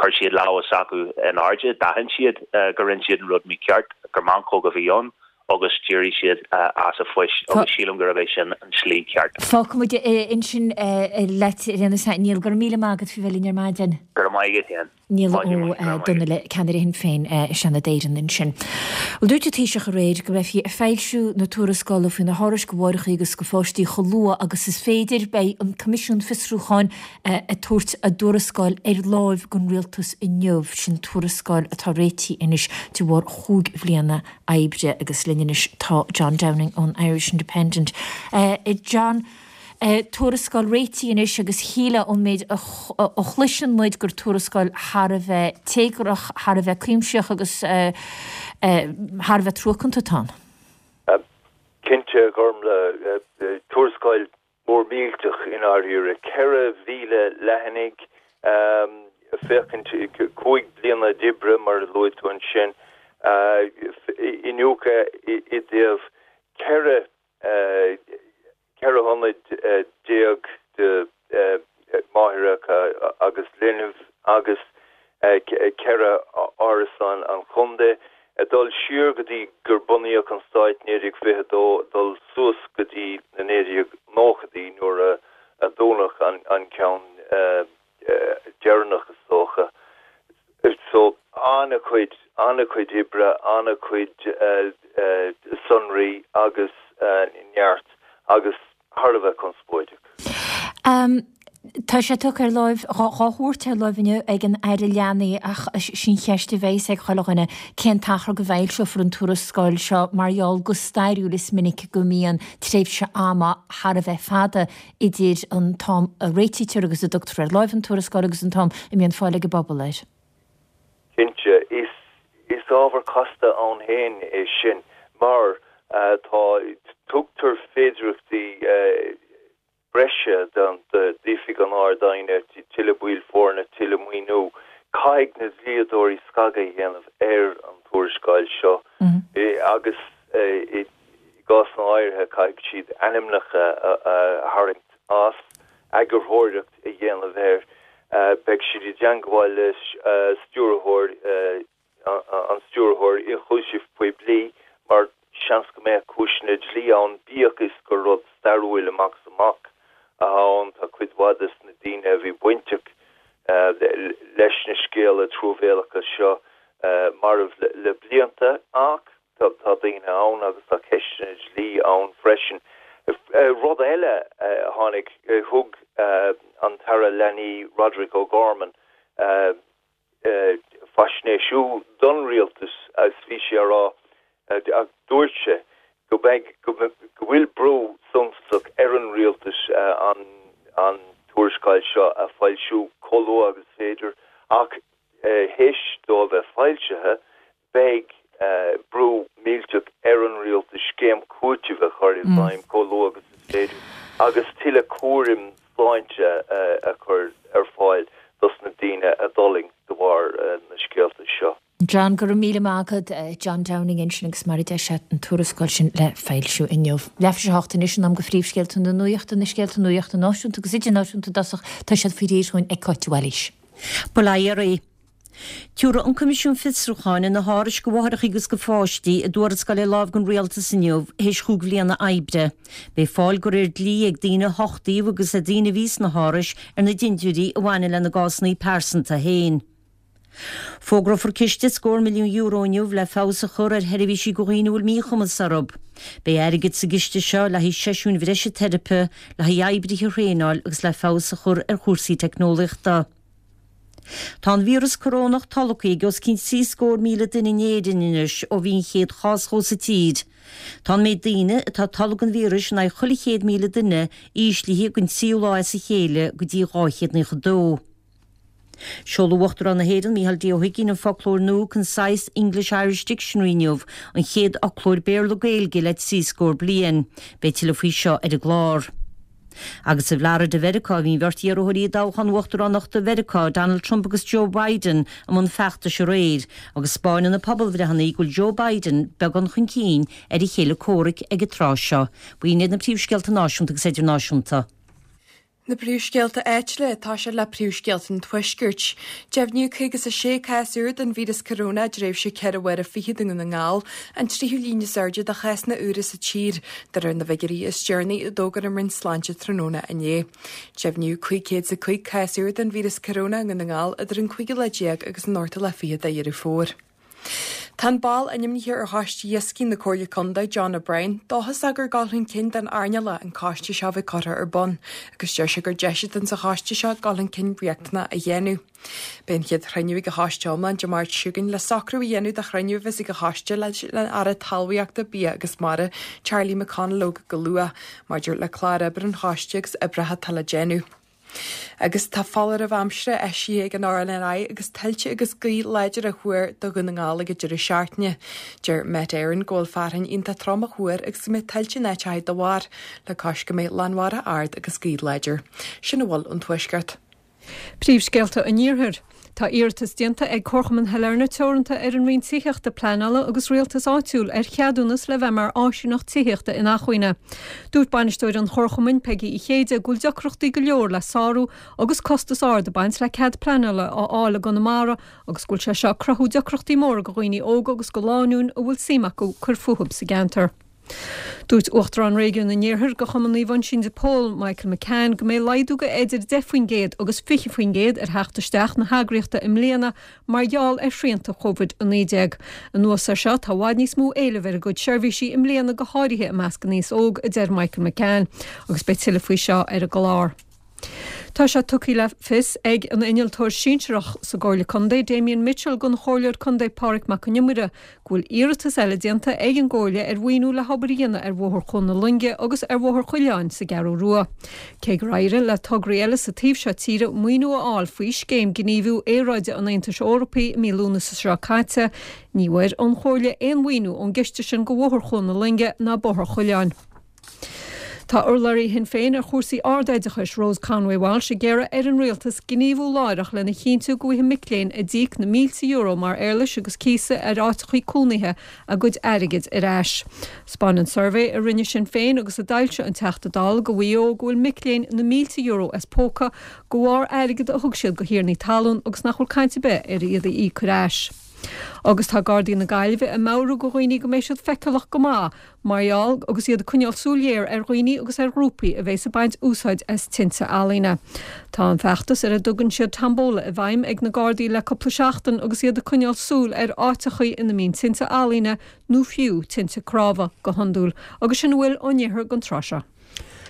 chuir siad lámha s'acu in airde, d'aithin siad go rinne siad an rud mícheart, gur meancóg a bhí ann agus d'éirigh siad as a phoist agus sílim gurb é sin an tslí ceart. Fágfaimid ansin leat ar aon nós é Niall. Go raibh míle maith agat faoi bheith linn ar maidin. Go raibh maith agat féin. Niall Ó Donnaile, ceannaire Shinn Féin i Seanad Éireann ansin. Bhuel, dúirt an Taoiseach aréir go mbeifí ag foilsiú na tuarascála faoi na hárais do mháithreacha agus do pháistí chomh luath agus is féidir. Beidh an Coimisiún Fiosrúcháin ag tabhairt a dtuarascáil ar láimh don Rialtas inniu. Sin tuarascáil atá réitithe anois de bharr chúig bhliana oibre agus linn anois tá John Downing ón Irish Independent. John. Tuarascáil réitithe anois agus shílfeá ón méid a chloiseann muid gur tuarascáil thar a bheith téagarthach, thar a bheith cuimsitheach agus thar a bheith truacánta atá ann. Cinnte, a Ghormfhlaith, tuarascáil mhór millteach i ndáiríre. 4,000 leathanaigh, féachaint 5 bliana d'oibre, mar a luaigh tú ansin, iniúchadh i dtaobh 14 14 hionad de mháithreacha agus linbh agus 4 árasán an chontae, ag dul siar go dtí gur bunaíodh an stáit 1922, dul suas go dtí na 1990idí nuair a dúnadh an ceann deireanach is dócha. So, an-chuid, an-chuid oibre, an-chuid sonraí agus neart agus thar a bheith conspóideach. Tá sé tugtha ar láimh, dhá thabhairt ar láimh inniu ag an Aire Leanaí ach sin cheist a bheas ag chuile dhuine, cén t-achar go bhfoilseofar an tuarascáil seo mar gheall go stairiúil is minic go mbíonn tréimhse ama thar a bheith fada idir an t-am a réitítear agus a dtugtar ar láimh an tuarascáil agus an t-am a mbíonn fáil ag an bpobal air. Cinnte, is ábhar casta ann féin é sin mar tá, tugtar féidearthachtaí breise d'Oifig an Ard-Aighne, tuilleadh baill foirne, tuilleadh maoiniú. Caithfidh na dlíodóirí scagadh a dhéanamh ar an tuarascáil seo agus i gcásanna áirithe caithfidh siad ainmneacha a tharraingt as, eagarthóireacht a dhéanamh air. Beidh siad i dteangmháil le stiúrthóir, an Stiúrthóir Ionchúiseamh Poiblí mar seans go mbeadh cúiseanna dlí ann, bíodh is gur rud stairiúil amach is amach atá ann. Tá cuid mhaith des na daoine a bhí bainteach leis na scéala truamhéalacha seo marbh le blianta ach tá daoine ann agus tá ceisteanna dlí ann freisin. Rud eile a tháinig, thug an tAire Leanaí Roderic O'Gorman faisnéisiú don rialtas agus bhí sé á rá, dúirt sé go mbeidh, go bhfuil brú suntasach ar an rialtas an tuarascáil seo a foilsiú chomh luath agus is féidir ach théis dó a bheith foilsithe beidh brú millteach ar an rialtas scéim cúitimh a chur i bhfeidhm chomh luath agus is féidir agus tuilleadh cúraim sláinte a chur. John, Go raibh míle maith agat. John Downing ansin agus mar a deir sé, an tuarascáil sin le foilsiú inniu. Leathuair tar éis a hocht anois, in am do phríomhscéalta na nuachta, na scéalta nuachta náisiúnta agus idirnáisiúnta i dtosach, tá siad faoi réir dhúinn ag Cáit de Bhailís. Bail ó Dhia oraibh. Tiúrfaidh an Coimisiún Fiosrúcháin ar na hárais do mháithreacha agus do pháistí a dtuarascáil ar láimh don Rialtas inniu théis chúig bhliana oibre. Beidh fáil de réir dlí ag daoine a huchtaíodh agus ag daoine a bhí sna hárais ar na dintiúirí a bhaineann lena gcásanna pearsanta féin. Fógrófar ciste scór milliún euro inniu le feabhas a chur ar sheirbhísí do dhaoine a bhfuil míchumas orthu. Beidh airgead sa gciste seo le haghaidh seisiúin bhreise teiripe, le haghaidh oibrithe a thraenáil agus le feabhas a chur ar chúrsaí teicneolaíochta. Tá an víreas corónach tolgtha ag os cionn 73,000 duine in Éirinn anois ó bhí an chéad chás dhó sa tír. Tá an méid daoine atá tolgtha den víreas in aghaidh chuile 100,000 duine íslithe don tríú lá as a chéile go dtí 292. Seolfaidh Uachtarán na hÉireann, Micheál D. Ó hUigínn an foclóir nua Concise English-Irish Dictionary inniu, an chéad fhoclóir Béarla-Gaeilge le trí scór bliain. Beidh tuilleadh faoi seo ar an gclár. Agus i bhFlorida Mheiriceá, bhí an bheirt iarrthóirí i dtoghchán uachtaránachta Mheiriceá, Donald Trump agus Joe Biden, i mbun feachtais aréir, agus 'spáineann na pobalbhreitheanna go bhfuil Joe Biden beagán chun cinn ar a chéile comhraic ag an tráth seo. B'in iad na príomhscéalta náisiúnta agus idirnáisiúnta. Na príomhscéalta áitiúla atá sé le príomhscéalta an Tuaiscirt. Deimhníodh 56 cás úr den víreas coróna i dtréimhse ceithre huaire fichead i nDún na nGall, an tríú líon is airde de chásanna úra sa tír, de réir na bhfigiúirí is deireanaí a d'fhógair an Roinn Sláinte tráthnóna inné. Deimhníodh 505 cás úr den víreas coróna i nDún na nGall idir an cúigiú lá déag agus an ochtú lá fichead de Dheireadh Fómhair. Tá an ball ainmnithe ar Choiste Iascaigh na Comhairle Contae, John O'Brien, dóchasach gur dul chun cinn don earnáil an coiste seo a bheith curtha ar bun agus deir sé gur deis atá sa choiste seo dul chun cinn riachtanach a dhéanamh. Beidh an chéad chruinniú ag an choiste iomlán Dé Máirt seo chugainn le socrú a dhéanamh do chruinniú a bheas ag an choiste leis an Aire Talmhaíochta, Bia agus Mara, Charlie McConalogue go luath, maidir le clár oibre an choiste agus oibreacha atá le déanamh. Agus tá foláireamh aimsire eisithe ag an RNLI agus tuilte agus gaoth láidir á thuar do Dhún na nGall ag an deireadh seachtaine. Deir Met Éireann go bhfuil fearthainn iontach trom á thuar agus go mbeidh tuilte in áiteacha dá bharr, le cois go mbeidh lánmhara ard agus gaoth láidir. Sin a bhfuil ón Tuaisceart. Príomhscéalta an Iarthair. Tá iarratas déanta ag Comharchumann Shailearna Teoranta ar an Roinn Tithíochta, Pleanála agus Rialtais Áitiúil ar cheadúnas le bheith mar áisíneacht tithíochta inacmhainne. Dúirt bainisteoir an Chomharchumainn, Peigí Uí Chéide, go bhfuil deacrachtaí go leor le sárú agus costas ard ag baint le cead pleanála a fháil i gConamara agus go bhfuil sé seo ag cruthú deacrachtaí móra do dhaoine óga agus do lánúin a bhfuil suim acu cur fúthu sa gceantar. Dúirt Uachtarán Réigiún an Iarthair de Chumann Naomh Uinseann de Pól, Michael McCann, go mbeidh laghdú de idir 10% agus 20% ar theacht isteach na heagraíochta i mbliana mar gheall ar shrianta Covid-19. Anuas air seo, tá i bhfad níos mó éilimh ar a gcuid seirbhísí i mbliana go háirithe i measc an aos óg, a deir Michael McCann, agus beidh tuilleadh faoi seo ar an gclár. Tá sé tugtha le fios ag an innealtóir sinsearach sa gComhairle Contae, Damien Mitchell don Chomhairleoir Contae Pádraig Mac Con Iomaire go bhfuil iarratas eile déanta ag an gComhairle ar mhaoiniú le hobair a dhéanamh ar Bhóthar Chuan na Loinge agus ar Bhóthar Choileáin sa gCeathrú Rua. Cé gur éirigh le tograí eile sa taobh seo tíre maoiniú a fháil faoi Scéim Gníomhú Aeráide an Aontais Eorpaigh i mí Lúnasa seo caite, ní bhfuair an Chomhairle aon mhaoiniú ón gciste sin do Bhóthar Chuan na Loinge ná Bóthar Choileáin. Tá urlabhraí Shinn Féin ar chúrsaí ardoideachais, Rose Conway Walsh, ag iarraidh ar an Rialtas gníomhú láithreach lena chinntiú go bhfaighidh mic léinn a d'íoc na mílte euro mar éarlais agus cíosa ar áiteachaí cónaithe a gcuid airgid ar ais. 'Spáineann suirbhé a rinne Sinn Féin agus a d'fhoilsigh an Teachta Dála do Mhaigh Eo go bhfuil mic léinn na mílte euro as póca de bharr airgead a thug siad do thiarnaí talún agus nach bhfuil caint ar bith ar iad a íoc ar ais. Agus tá Gardaí na Gaillimhe ag meabhrú do dhaoine go mbeidh siad feiceálach go maith Mar gheall, agus iad ag coinneáil súil ghéar ar dhaoine agus ar ghrúpaí a bheas ag baint úsáid as tinte ealaíne. Tá an feachtas ar a dtugann siad Tombola i bhfeidhm ag na Gardaí le cúpla seachtain agus iad ag coinneáil súil ar áiteachaí ina mbíonn tinte ealaíne nó fiú tinte cnámha go hiondúil. Agus sin a bhfuil ón iarthar don tráth seo.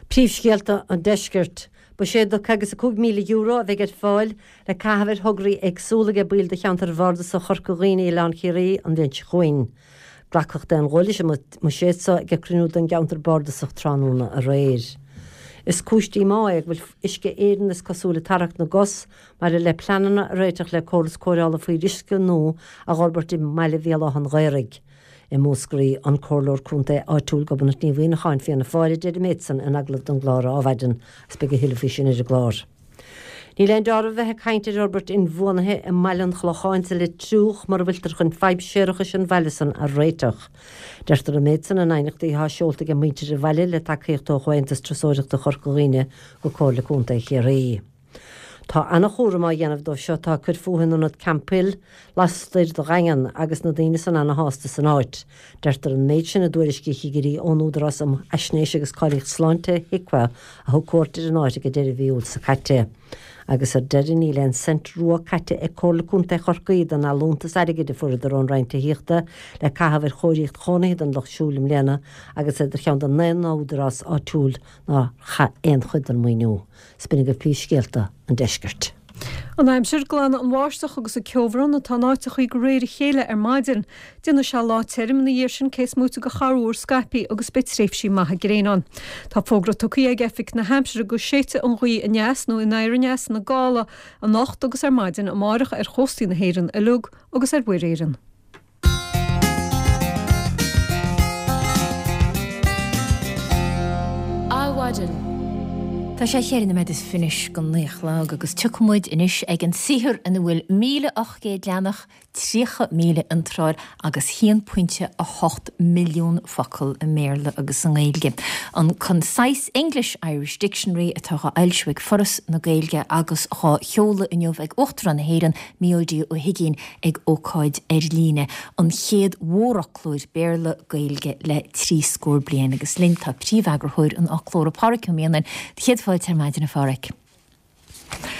Príomhscéalta an Deiscirt. Buiséad de €55,000 a bheidh ar fáil le caitheamh ar thograí éagsúla ag baill de cheantar Bhardasach Chorca Dhuibhne Oileán Chiarraí an bhliain seo chugainn. Glacadh d'aon ghuth leis an mbuiséad seo ag cruinniú den gceantar bardasach tráthnóna aréir. Is cúis díomá é go bhfuil Uisce Éireann is cosúil ag tarrac na gcos maidir le pleananna a réiteach le córas cóireála fuíolluisce nua a dh'fhorbairt i mbaile Bhéal Átha an Ghaorthaidh. I Múscraí, an Comhairleoir Contae áitiúil Gobnait Ní Mhuineacháin, Fianna Fáil, a deir an méid san in agallamh don gclár Adhmhaidin agus beidh a thuilleadh faoi sin ar an gclár. Níl aon dealramh a bheith ag caint ar fhorbairt inbhuanaithe i mBaile an Chlocháin sa Leitriúch mura bhfuiltear chun fadhb séarachais an bhaile san a réiteach. Deirtear an méid san in aighneachtaí atá seolta ag muintir an bhaile le tacaíocht ó Chomhaontas Turasóireachta Chorca Dhuibhne go Comhairle Contae Chiarraí. Tá ana-chúram á dhéanamh dóibh seo atá ag cur fúthu in ionad Camphill lastoir de Dhaingean agus na daoine san ana-shásta san áit. Deirtear an méid sin i dtuairisc chigirí ón Údarás um Fhaisnéis agus Cáilíocht Sláinte, HIQA, a thug cuairt ar an áit ag deireadh mhí Iúil seo caite. Agus ar deireadh níl aon cent rua caite ag Comhairle Contae Chorcaí den allúntas airgid a fuaireadar ón Roinn Tithíochta le caitheamh ar chóiríocht chónaithe don lucht siúil i mbliana agus iad ar cheann den naoi n-údarás áitiúil nár chaith aon chuid den maoiniú. 'S b'in agaibh príomhscéalta an deiscirt. An aimsir, Glanfaidh an bháisteach agus an ceobhrán atá in áiteachaí de réir a chéile ar maidin. Déanfaidh sé lá tirim ina dhiaidh sin cé is móite de chorruair scaipthe agus beidh tréimhsí maithe gréine ann. Tá fógra tugtha ag Oifig na hAimsire go séidfidh an ghaoth aneas nó anoir aneas ina gála anocht agus ar maidin amárach ar chóstaí na hÉireann uilig agus ar Mhuir Éireann. Adhmhaidin. Tá sé cheithre nóiméad is fiche go naoi a chlog agus tiocfaidh muid anois ag an saothar ina bhfuil 1,800 leathanach, 30,000 iontráil agus 1.8 milliún focal i mBéarla agus i nGaeilge. An Concise English-Irish Dictionary atá dhá fhoilsiú ag Foras na Gaeilge agus dhá sheoladh inniu ag Uachtarán na hÉireann, Mícheál D. Ó hUigínn ag ócáid ar líne, an chéad mhórfhoclóir Béarla-Gaeilge le trí scór bliain. Agus linn tá príomheagarthóir an fhoclóra, Pádhraic Ó Mianáin. Céad fáilte ar maidin, a Phádhraic.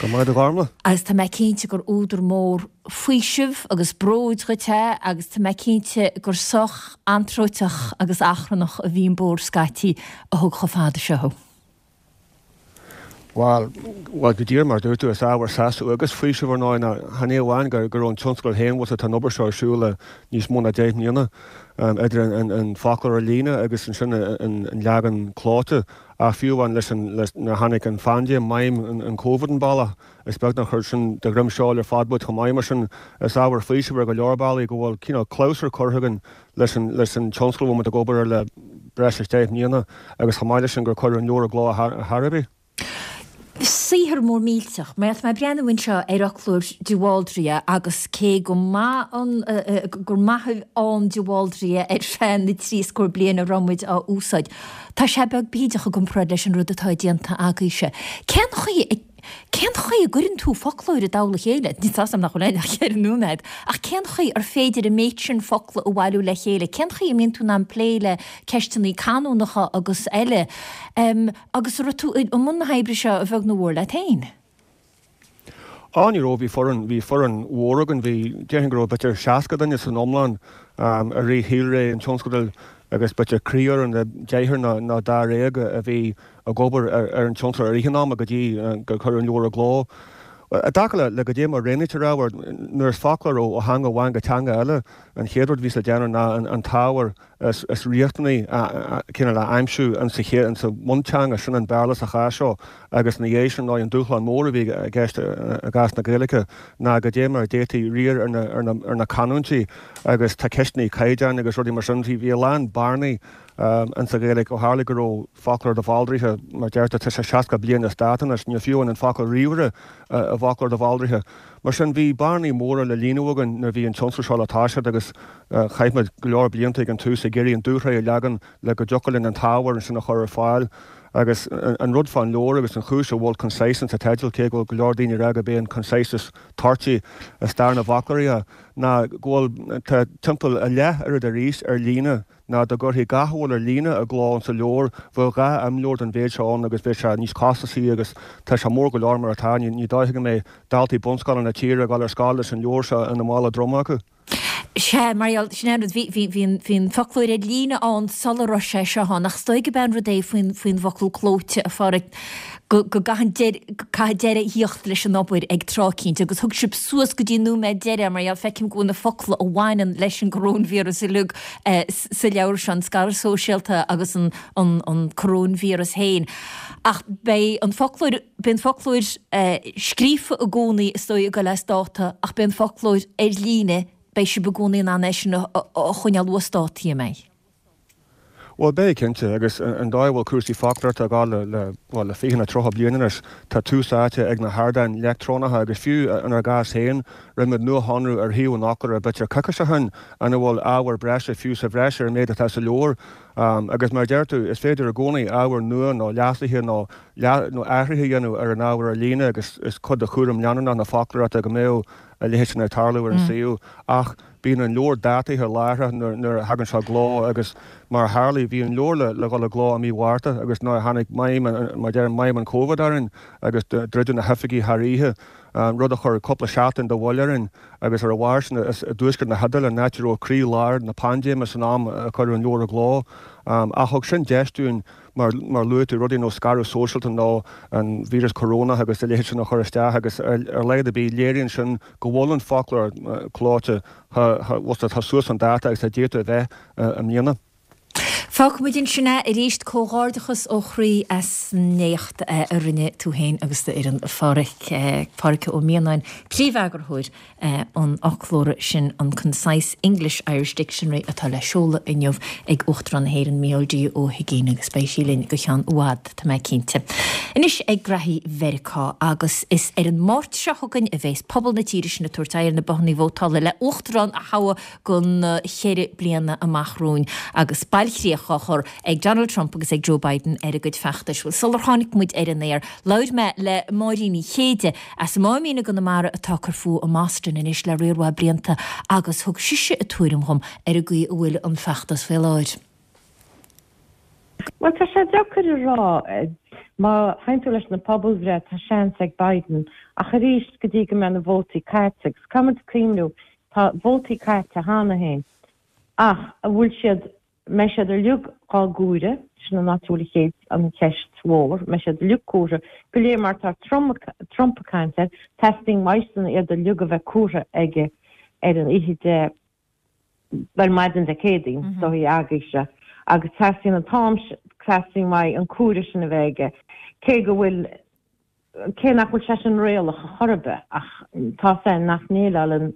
Go raibh maith agat, a Ghormlaith. Agus tá mé cinnte gur údar mór faoisimh agus bróid dhuit é agus tá mé cinnte gur sách anróiteach agus achrannach a bhí an bóthar scaití a thug chomh fada seo thú. Bhuel, bhuel, go díreach mar a dúirt tú, is ábhar sásaimh agus faoisimh ar ndóigh ná chan é amháin go raibh an tionscadal féin, bhfuil tá an obair seo ar siúl le níos mó ná 10 mbliana, idir an foclóir ar líne agus ansin an leagan clóite, ach fiú amháin leis an, nuair a tháinig an phaindéim, maidhm an Covid an bealach, is beag nár chuir sin de dhroim seoil ar fad muid chomh maith. Mar sin, is ábhar faoisimh ar go leor bealaí go bhfuil cineál clabhsúr curtha againn leis an leis an tionscal a bhfuil muid ag obair air le breis is 10 mbliana agus chomh maith leis sin gur cuireadh an leabhar i gcló ar chor ar bith. Saothar mór millteach. Mar tá mé ag breathnú anseo ar fhoclóir de Bhaldraithe agus cé go maith an gur maith ann de Bhaldraithe ar feadh na dtrí scór bliain a raibh muid á úsáid, tá sé beag bídeach i gcomparáid leis an rud atá déanta agaibhse. Cén chaoi a Cén chaoi a gcuireann tú foclóir i dtoll a chéile? Níl a fhios agam nach bhfuil aon ach cheithre nóiméad, ach cén chaoi ar féidir an méid sin focla a bhailiú le chéile? Cén chaoi a mbíonn tú in ann plé le ceisteanna canúnacha agus eile? Agus an raibh tú i mbun na hoibre seo a bheag nó a mhór leat féin? Á, ní raibh, bhí foireann, bhí foireann mhór againn, bhí, déarfainn go raibh b'fhéidir 60 duine san iomlán i rith shaolré an tionscadail agus b'fhéidir croífhoireann de deichniúr nó dáréag a bhí ag obair ar an tionscadal i rith an ama go dtí gur cuireadh an leabhar i gcló. I dtaca le goidé mar a roghnaítear ábhar, nuair is foclóir ó theanga amháin go teanga eile, an chéad rud a bhíos le déanamh ná an t-ábhar is riachtanaí cineál a aimsiú in sa chéad, in sa bhunteanga, sin an Béarla sa chás seo, agus ina dhiaidh sin, an dúshlán mór a bhí i gceist i gcás na Gaeilge ná goidé mar a d'fhéadfaí riar ar na canúintí agus tá ceisteanna caighdeáin agus rudaí mar sin, bhí a lán bearnaí in sa Ghaeilge ó tharla go raibh foclóir de Bhaldraithe, mar deirtear, tá sé 60 bliain as dáta anois, níl fiú amháin an focal ríomhaire i bhfoclóir de Bhaldraithe. Mar sin, bhí bearnaí móra le líonadh againn nuair a bhí an tionscal seo le toiseacht agus chaith muid go leor blianta ag an tús ag iarraidh an dúshraith a leagan le go dtiocfadh linn an t-ábhar ansin a chur ar fáil. Agus an rud fán leabhar agus an chúis a bhfuil Concise insa teideal, cé go bhfuil go leor daoine ag rá gurb é an Concise is toirtí i stair na bhfoclóirí é, ná go bhfuil, tá timpeall a leath oiread arís ar líne ná dá gcuirfí gach a bhfuil ar líne i gcló insa leabhar, bheadh 2 imleabhar den mhéid seo ann agus bheadh sé níos costasaí agus tá sé mór go leor mar atá, ní dóiche go mbeidh daltaí bunscoile na tíre ag dul ar scoil leis an leabhar seo ina mála droma acu. Sea, mar gheall, sin é an rud, bhí, bhí, bhí an, bhí an foclóir ar líne ann sula raibh sé seo ann, ach is dóigh gurb é an rud é faoin, faoin bhfocal clóite, a Pháraic, go, go gcaitheann deireadh, caithfidh deireadh a thíocht leis an obair ag tráth eicínt agus thug sibh suas go dtí an nóiméad deiridh mar gheall, feicim go bhfuil na focla a bhaineann leis an gcoróinvíreas uilig sa leabhar seo, an scaradh sóisialta agus an an coróinvíreas féin. Ach beidh an foclóir, beidh an foclóir scríofa i gcónaí is dóigh ag dul as dáta ach beidh an foclóir ar líne, beidh sibh i gcónaí in ann é sin a choinneáil uasdátaithe, an mbeidh? Bhuel, beidh, cinnte, agus an dóigh a bhfuil cúrsaí foclóireachta ag dul le, le, bhuel, le 20 nó 30 bliain anois, tá tús áite ag na hardáin leictreonacha agus fiú inár gcás féin, rinne muid nuashonrú ar shuíomh an fhoclóra b'fhéidir coicís ó shin ina bhfuil ábhar breise fiú sa bhreis ar an méid atá sa leabhar. Agus mar a deir tú, is féidir i gcónaí ábhar nua nó leasuithe nó nó athruithe a dhéanamh ar an ábhar ar líne agus is cuid de chúram leanúnach na foclóireachta go mbeadh a leithéid sin ag tarlú ar an suíomh. Ach. Bíonn an leabhar dátaithe láithreach nuair a thagann sé i gcló agus mar a tharlaigh, bhí an leabhar le dhul i gcló i mí Mhárta agus nuair a tháinig maidhm, mar a deirim, maidhm an Covid orainn agus druideadh na hoifigí thar oíche, rud a chuir cúpla seachtain de mhoill orainn agus ar a bharr sin is i dtuaisceart na hIodáile, an áit a raibh croí lár na paindéime san am a cuireadh an leabhar i gcló. Ach thug sin deis dúinn, mar a luaigh tú, rudaí ar nós scaradh sóisialta nó an víreas corónach agus a leithéid sin a chur isteach agus ar a laghad ar bith léiríonn sin go bhfuil an foclóir clóite tá suas chun dáta agus tá díolta a bheith i mbliana. Fágfaimid ansin é arís. Comhghairdeachas ó chroí as an éacht a rinne tú féin agus d'fhoireann, a Phádhraic. Pádraic Ó Mianáin, Príomheagarthóir an fhoclóra sin, an Concise English-Irish Dictionary atá le seoladh inniu ag Uachtarán na hÉireann, Micheál D. Ó hUigínn agus beidh sí linn go ceann i bhfad, tá mé cinnte. Anois ag graithí Mheiriceá agus is ar an Máirt seo chugainn a bheas pobal na tíre sin ag tabhairt aghaidh ar na bothannaí vótála le Uachtarán a thoghadh do na ceithre bliana amach romhainn agus bailchríoch á chur ag Donald Trump agus ag Joe Biden ar a gcuid feachtais. Bhuel, sular tháinig muid ar an aer, labhair mé le Máirín Uí Chéide as an Máimín i gConamara atá ag cur fúithi i mBoston anois le riar mhaith blianta agus thug sise a tuairim dhom ar an gcaoi a bhfuil an feachtas faoi láthair. Bhuel, tá sé deacair a rá. Má théann tú leis na pobalbhreith, tá seans ag Biden. Ach arís, go dtí go mbeidh na vótaí caite, agus caithfidh muid cuimhniú, tá vótaí caite cheana féin, ach an bhfuil siad mbeidh siad uilig á gcomhaireamh, sin an áit a bhfuil an chéad, an cheist mhór, mbeidh siad uilig comhairthe, go léir mar tá Trump ag caint air, teastaíonn uaidhsean iad uilig a bheith comhairthe aige ar an oíche Dé, bhuel maidin Dé Céadaoin, is dóichí agaibhse, agus teastaíonn an t-am, teastaíonn uaidh an comhaireamh sin a bheith aige, cé go bhfuil, cé nach bhfuil sé sin réalach a chor ar bith, ach tá sé nach ndéileálann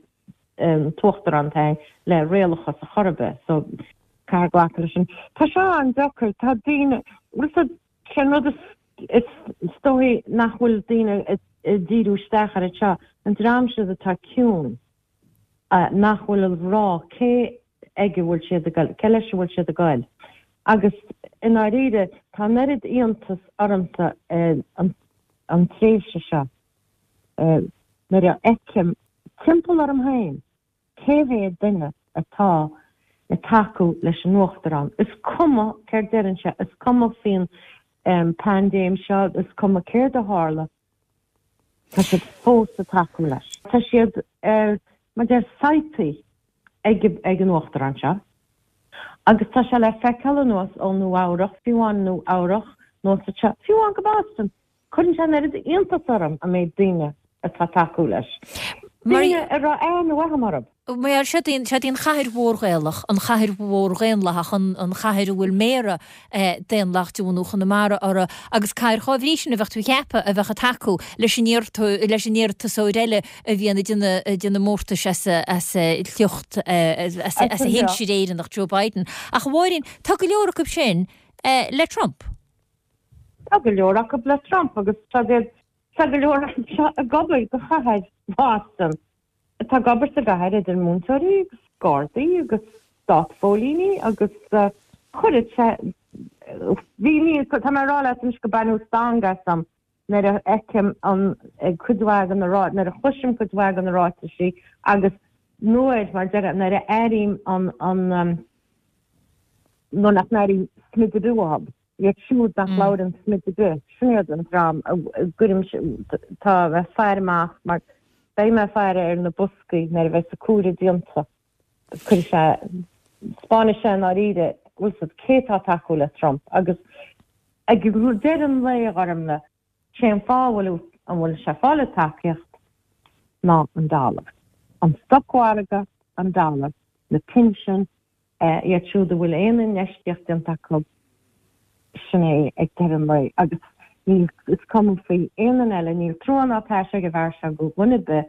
an tUachtarán féin le réalachas a chor ar bith, so caithfear glacadh leis sin. Tá sé an-deacair, tá daoine, bhfuil fhios a'd, sé an rud is, is dóichí nach bhfuil daoine ag díriú isteach air anseo, an dream siúd atá ciúin, nach bhfuil ag rá cé aige a bhfuil siad ag goil, cé leis a bhfuil siad ag goil. Agus i ndáiríre, tá an oiread iontas ormsa an tréimhse seo nuair a fheicim timpeall orm féin cé mhéad duine atá ag tacú leis an Uachtarán. Is cuma céard deireann sé, is cuma faoin bpaindéim seo, is cuma céard a tharla, Tá siad fós ag tacú leis. Tá siad ar, mar deir, saidhpí ag ag an Uachtarán seo. Agus tá sé le feiceáil anuas ó Nua Eabhrach, fiú amháin Nua Eabhrach, anuas anseo, fiú amháin go Boston. Cuireann sé an oiread iontas orm an méid daoine atá ag tacú leis. Daoine a raibh aithne mhaith agam orthu. Mar seod í an chathair mhór Ghaelach, an chathair mhór dhaonlathach, an chathair a bhfuil méara daonlathach de bhunú Chonamara uirthi, agus cathair dhá bhrí sin a bheadh tú a cheapadh a bheadh ag tacú leis an leis an iarratasóir eile a bhíonn ag déanamh mórtais as a shliocht, as a shinsir Éireannach, Joe Biden. Ach a Mháirín, tá go leor acu sin le Trump. Tá go leor acu le Trump agus tá go leor acu seo ag obair do chathair Boston. atá ag obair sa gcathair idir múinteoirí agus gardaí agus státphóilíní agus chuireadh sé bhí ní tá mé ag rá leat anois go baineadh stangadh asam nuair a fheicim an cuid mhaith de na rá nuair a chloisim cuid mhaith de na ráitisí agus nuair mar deir nuair a airím an an nuair nach n-airím smid ar bith uathu. Iad siúd nach labhrann smid ar bith, sin iad an dream a gcuirim, tá mé ag faire amach mar beidh mé ag faire ar na boscaí nuair a bheas an comhaireamh déanta. Cuirfidh sé, 'spáinfidh sé i ndáiríre, bhfuil 's a'd, cé atá ag tacú le Trump agus ag deireadh an lae, a Ghormlaith, sé an fáth a bhfuil an bhfuil sé ag fáil an tacaíocht ná an dollar. An stocmhargadh, an dollar, na pinsin, Iad siúd a bhfuil aon infheistíocht déanta acu, sin é ag deireadh an lae. Agus níl, is cuma faoi aon duine eile, níl trua ná taise ag an bhfear seo do dhuine ar bith.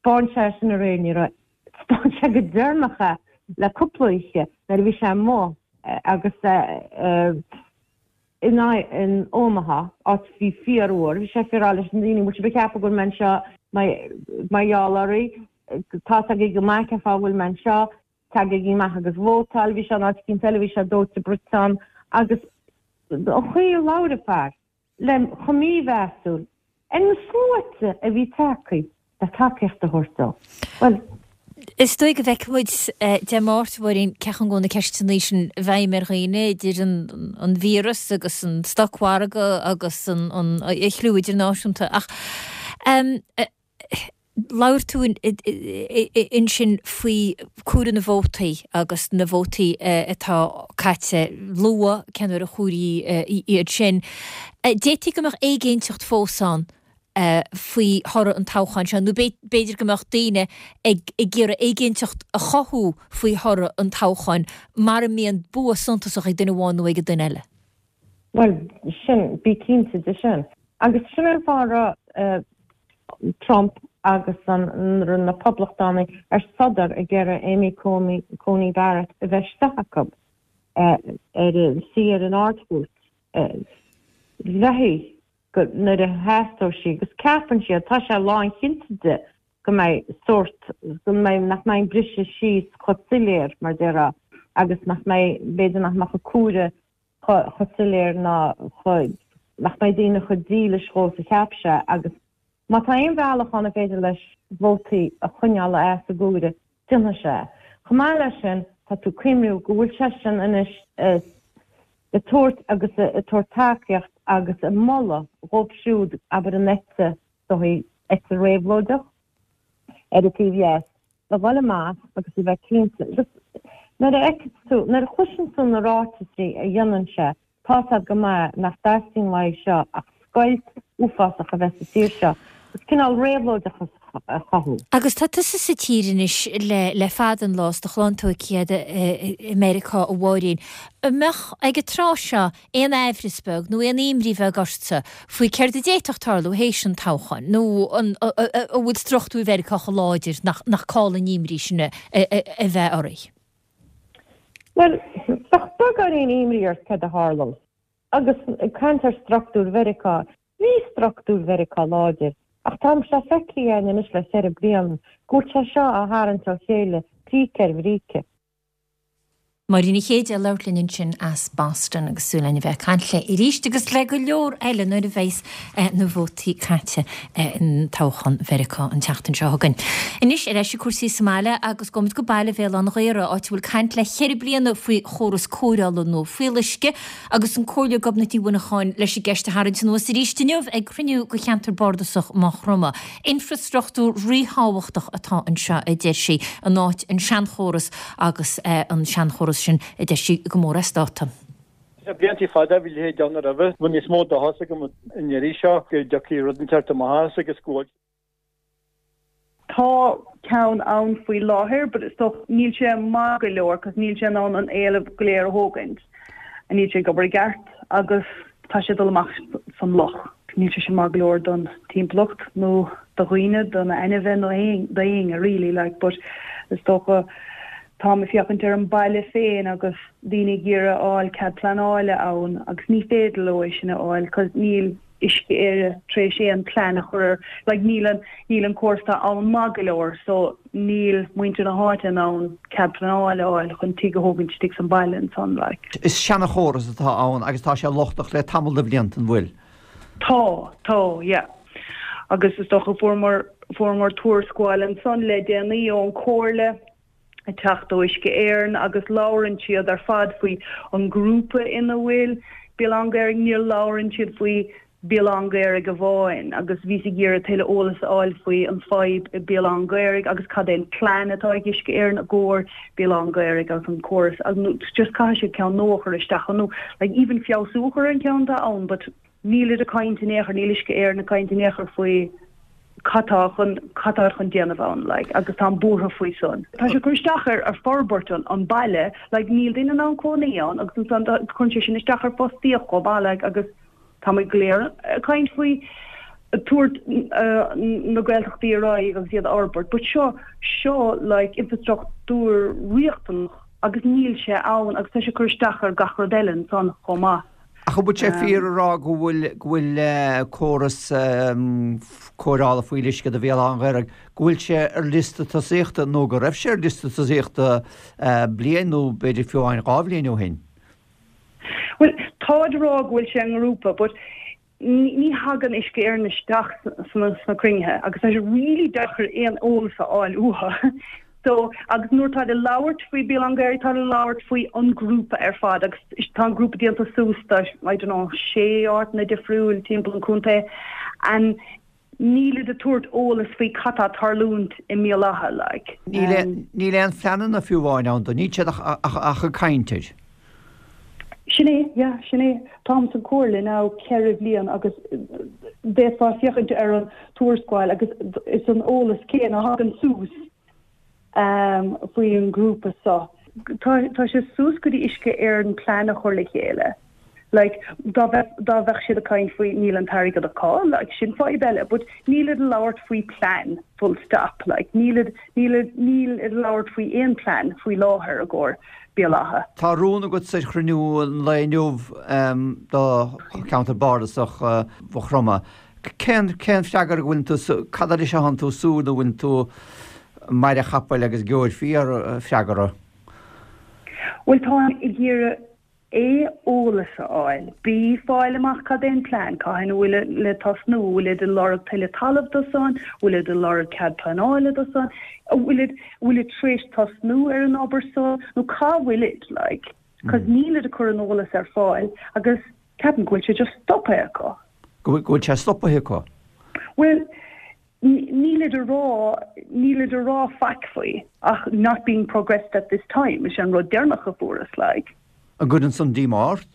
'Spáin sé sin aréir, ní raibh, 'spáin sé go deireanach é le cúpla oíche nuair a bhí sé amuigh. agus in in Omaha, áit a bhí fíorfhuar, bhí sé ag rá leis na daoine, bhfuil sibh ag ceapadh go bhfuil mé anseo mar gheall oraibh, tá's agaibh go maith cén fáth a bhfuil mé anseo, tagaigí amach agus vótáil, bhí sé in áit eicínt eile, bhí sé dóite bruite ann agus an chaoi a labhair an fear. le chomh mímheasúil ar na sluaite a bhí tagtha le tacaíocht a thabhairt dó. Bhuel. Is dóigh go bhfeicfidh muid Dé Máirt, a Mháirín, cé chomh go na ceisteanna sin i bhfeidhm ar dhaoine, idir an víreas agus an stocmhargadh agus an chliú idirnáisiúnta. Ach Labhair tú ansin faoi comhaireamh na vótaí agus na vótaí atá caite luath, cén uair a chomhairíodh iad sin. D'fhéadfaí go mbeadh éiginnteacht fós ann faoi thoradh an toghcháin seo, nó b'fhéidir go mbeadh daoine ag iarraidh éiginnteacht a chothú faoi thoradh an toghcháin mara mbíonn bua suntasach ag duine amháin nó ag an duine eile. Bhuel, sin, bí cinnte de sin. Agus sin é an fáth a raibh Trump agus an, na Poblachtánaigh ar sodar ag iarraidh Amy Coney Barrett a bheith istigh acu ar suí ar an Ard-Chúirt. Bheifí go, nuair a theastódh sí, agus ceapann siad, tá sé lánchinnte de go mbeidh sórt, go mbeidh, nach mbeidh an briseadh síos chomh soiléir, mar déarfá, agus nach mbeidh, b'fhéidir nach mbeadh an comhaireamh chomh soiléir ná chomh, nach mbeidh daoine chomh dílis dhó is a cheap sé agus má tá aon bhealach ann ar féidir leis vótaí a choinneáil as an gcomhaireamh, déanfaidh sé é. Chomh maith leis sin, tá tú ag cuimhniú go bhfuil seisean anois ag tabhairt agus ag tabhairt tacaíocht agus ag moladh dhóibh siúd, abair an eite, dóigh, eite réabhlóideach ar an taobh dheas, a dhul amach agus a bheith cinnte. Agus nuair a fheiceann tú, nuair a chloiseann tú na ráitisí a dhéanann sé, tá's a'd go maith nach dteastaíonn uaidh seo ach scoilt uafásach a bheith sa tír seo agus cineál réabhlóideachas a chothú. Agus tá tusa sa tír anois le le fada an lá, is do chlann tógtha i Meiriceá, a Mháirín. An mbeadh, ag an tráth seo, aon aimhreas beag nó aon imní bheag ortsa faoi céard a d'fhéadfadh tarlú théis an toghcháin, nó an bhfuil struchtúir Mheiriceá chomh láidir nach call an imní sin a bheith oraibh? Bhuel, bheadh beagáinín imní ort céard a tharlós. Agus ag caint ar struchtúir Mheiriceá, bhí struchtúir Mheiriceá láidir, ach tá sé feicthe againn anois le ceithre bliana go bhfuil sé seo á tharraingt ó chéile, bríce ar bhríce. Máirín Ní Chéide ag labhairt linn ansin as Boston agus súil againn a bheith ag caint léi arís agus le go leor eile nuair a bheas na vótaí caite in toghchán Mheiriceá an tseachtain seo chugainn. Anois ar ais ag cúrsaí sa mbaile agus gabhfaimid go baile Bhéal Átha an Ghaorthaidh, áit a bhfuil caint le ceithre bliana faoi chóras cóireála nua fuíolluisce agus an Comhairleoir Gobnait Ní Mhuineacháin leis an gceist a tharraingt anuas arís inniu ag cruinniú de cheantar bardasach Maigh Chromtha. Infreastruchtúr ríthábhachtach atá anseo, a deir sí, in áit an seanchóras agus an seanchóras sin, a deir sí, go mór as dáta. Le blianta fada bhí a leithéid ann roimhe. Bhfuil níos mó dóchas agam an iarraidh seo go dtiocfaidh rud inteacht amach as agus go bhfuil. Tá ceann ann faoi láthair but is dócha níl sé maith go leor cos níl sé in ann an éileamh go léir a thógaint. Níl sé ag obair i gceart agus tá sé ag dul amach san loch. Níl sé sin maith go leor don timpeallacht nó do dhaoine, do na ainmhithe nó d'éinne really like but is dócha táim ag féachaint ar an baile féin agus daoine ag iarraidh a fháil cead pleanála ann agus ní féidir leo é sin a fháil cos níl Uisce Éireann tar éis aon plean a chur ar like níl an níl an córas atá ann maith go leor so níl muintir na háite in ann cead pleanála a fháil chun tigh a thógaint istigh san baile ansan like. Is seanachóras atá ann agus tá sé lochtach le tamall de bhlianta, an bhfuil? Tá, tá, yeah. Agus is dócha fuaireamar fuaireamar tuarascáil ansan le déanaí ón Comhairle ag teacht ó Uisce Éireann agus labhrann siad ar fad faoi an grúpa ina bhfuil Béal Átha an Ghaorthaidh, níor labhrann siad faoi Béal Átha an Ghaorthaidh amháin agus bhíos ag iarraidh tuilleadh eolas a fháil faoi an fadhb i Béal Átha an Ghaorthaidh agus cad é an plean atá ag Uisce Éireann i gcomhair Béal Átha an Ghaorthaidh agus an córas agus just caithfidh siad ceann nua a chur isteach nó like even feabhsú a chur ar an ceann atá ann but Nílid ag caint in aon chor, níl Uisce Éireann ag caint in aon chor faoi cad tá chun, cad tá chun déanamh ann, like, agus táim buartha faoi san. Tá sé ag cur isteach ar, ar forbairt an, an baile, like, níl duine in ann cónaí ann agus ansan tá, cuireann sé sin isteach ar fostaíocht chomh maith, like, agus tá muid go léir ag caint faoi tabhairt na Gaeltachtaí ar aghaidh agus iad a fhorbairt, but seo, seo, like, infrastruchtúr riachtanach. Agus níl sé ann agus tá sé ag cur isteach ar gach rud eile ansan chomh maith. Ach an bhfuil sé fíor a rá go bhfuil go bhfuil córas cóireála fuíolluisce do Bhéal Átha an Ghaorthaidh, go bhfuil sé ar liosta tosaíochta nó go raibh sé ar liosta tosaíochta bliain nó b'fhéidir fiú amháin 2 bhliain ó shin? Bhuel, táid ag rá go bhfuil sé i ngrúpa but ní thagann Uisce Éireann isteach sna cruinnithe agus tá sé really deacair aon eolas a fháil uathu. So, agus nuair táid ag labhairt faoi Béal Átha an Ghaorthaidh, táid ag labhairt faoi an grúpa ar fad agus tá an grúpa déanta suas de, I don't know, sé áiteanna difriúil timpeall an chontae and nílid ag tabhairt eolas faoi cad tá ag tarlúint i mBéal Átha, like. Níl aon phleananna fiú amháin ann dó, níl siad ach ag caint air. Sin é, yeah, sin é. Táim sa chomhairle now 4 bhliain agus d'fhéadfá féachaint ar an tuarascáil agus is an eolas céanna a thagann suas faoi an grúpa seo. Tá tá sé suas go dtí Uisce Éireann plean a chur le chéile. Like, dá bheith, dá bheadh siad ag caint faoi níl an t-airgead acu, like, sin fadhb eile, but nílid ag labhairt faoi plean, full stop, like, nílid, nílid, níl ag labhairt faoi aon plean faoi láthair i gcomhair Béal Átha. Tá rún agatsa ar chruinniú an lae inniu do cheantar bardasach Mhaigh Chromtha. Cén, cén freagra go bhfuileann tú, cad é leis a thánn tú ag súil nó bhfuileann tú maire chapaill agus geobhair fíor freagra? Bhuel, táim ag iarraidh A. Eolas a fháil. B. Fáil amach cad é an plean, cathain a bhfuil le tosnú, an bhfuilid ag lorg tuilleadh talaimh do san, an bhfuilid ag lorg cead pleanála do san, an bhfuilid, an bhfuilid tar éis tosnú ar an obair so, nó cá bhfuilid, like, 'cause nílid ag cur an eolas ar fáil agus ceapaim go bhfuil sé just stoptha acu. Go bhfuil sé stoptha acu? Bhuel, Nílid a rá, nílid a rá faic faoi ach not being progressed at this time, is é an rud deireanach a fuaireas, like. An gcuireann san díomá ort?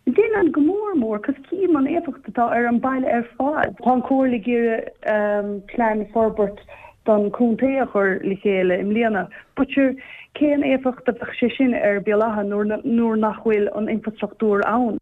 Déanann, go mór mór, 'cause cím an éifeacht atá ar an baile ar fad. Tá an Chomhairle ag iarraidh plean forbairt don chontae a chur le chéile i mbliana, but sure, cén éifeacht a bheadh sé sin ar Béal Átha nuair nach bhfuil an infrastruchtúr ann?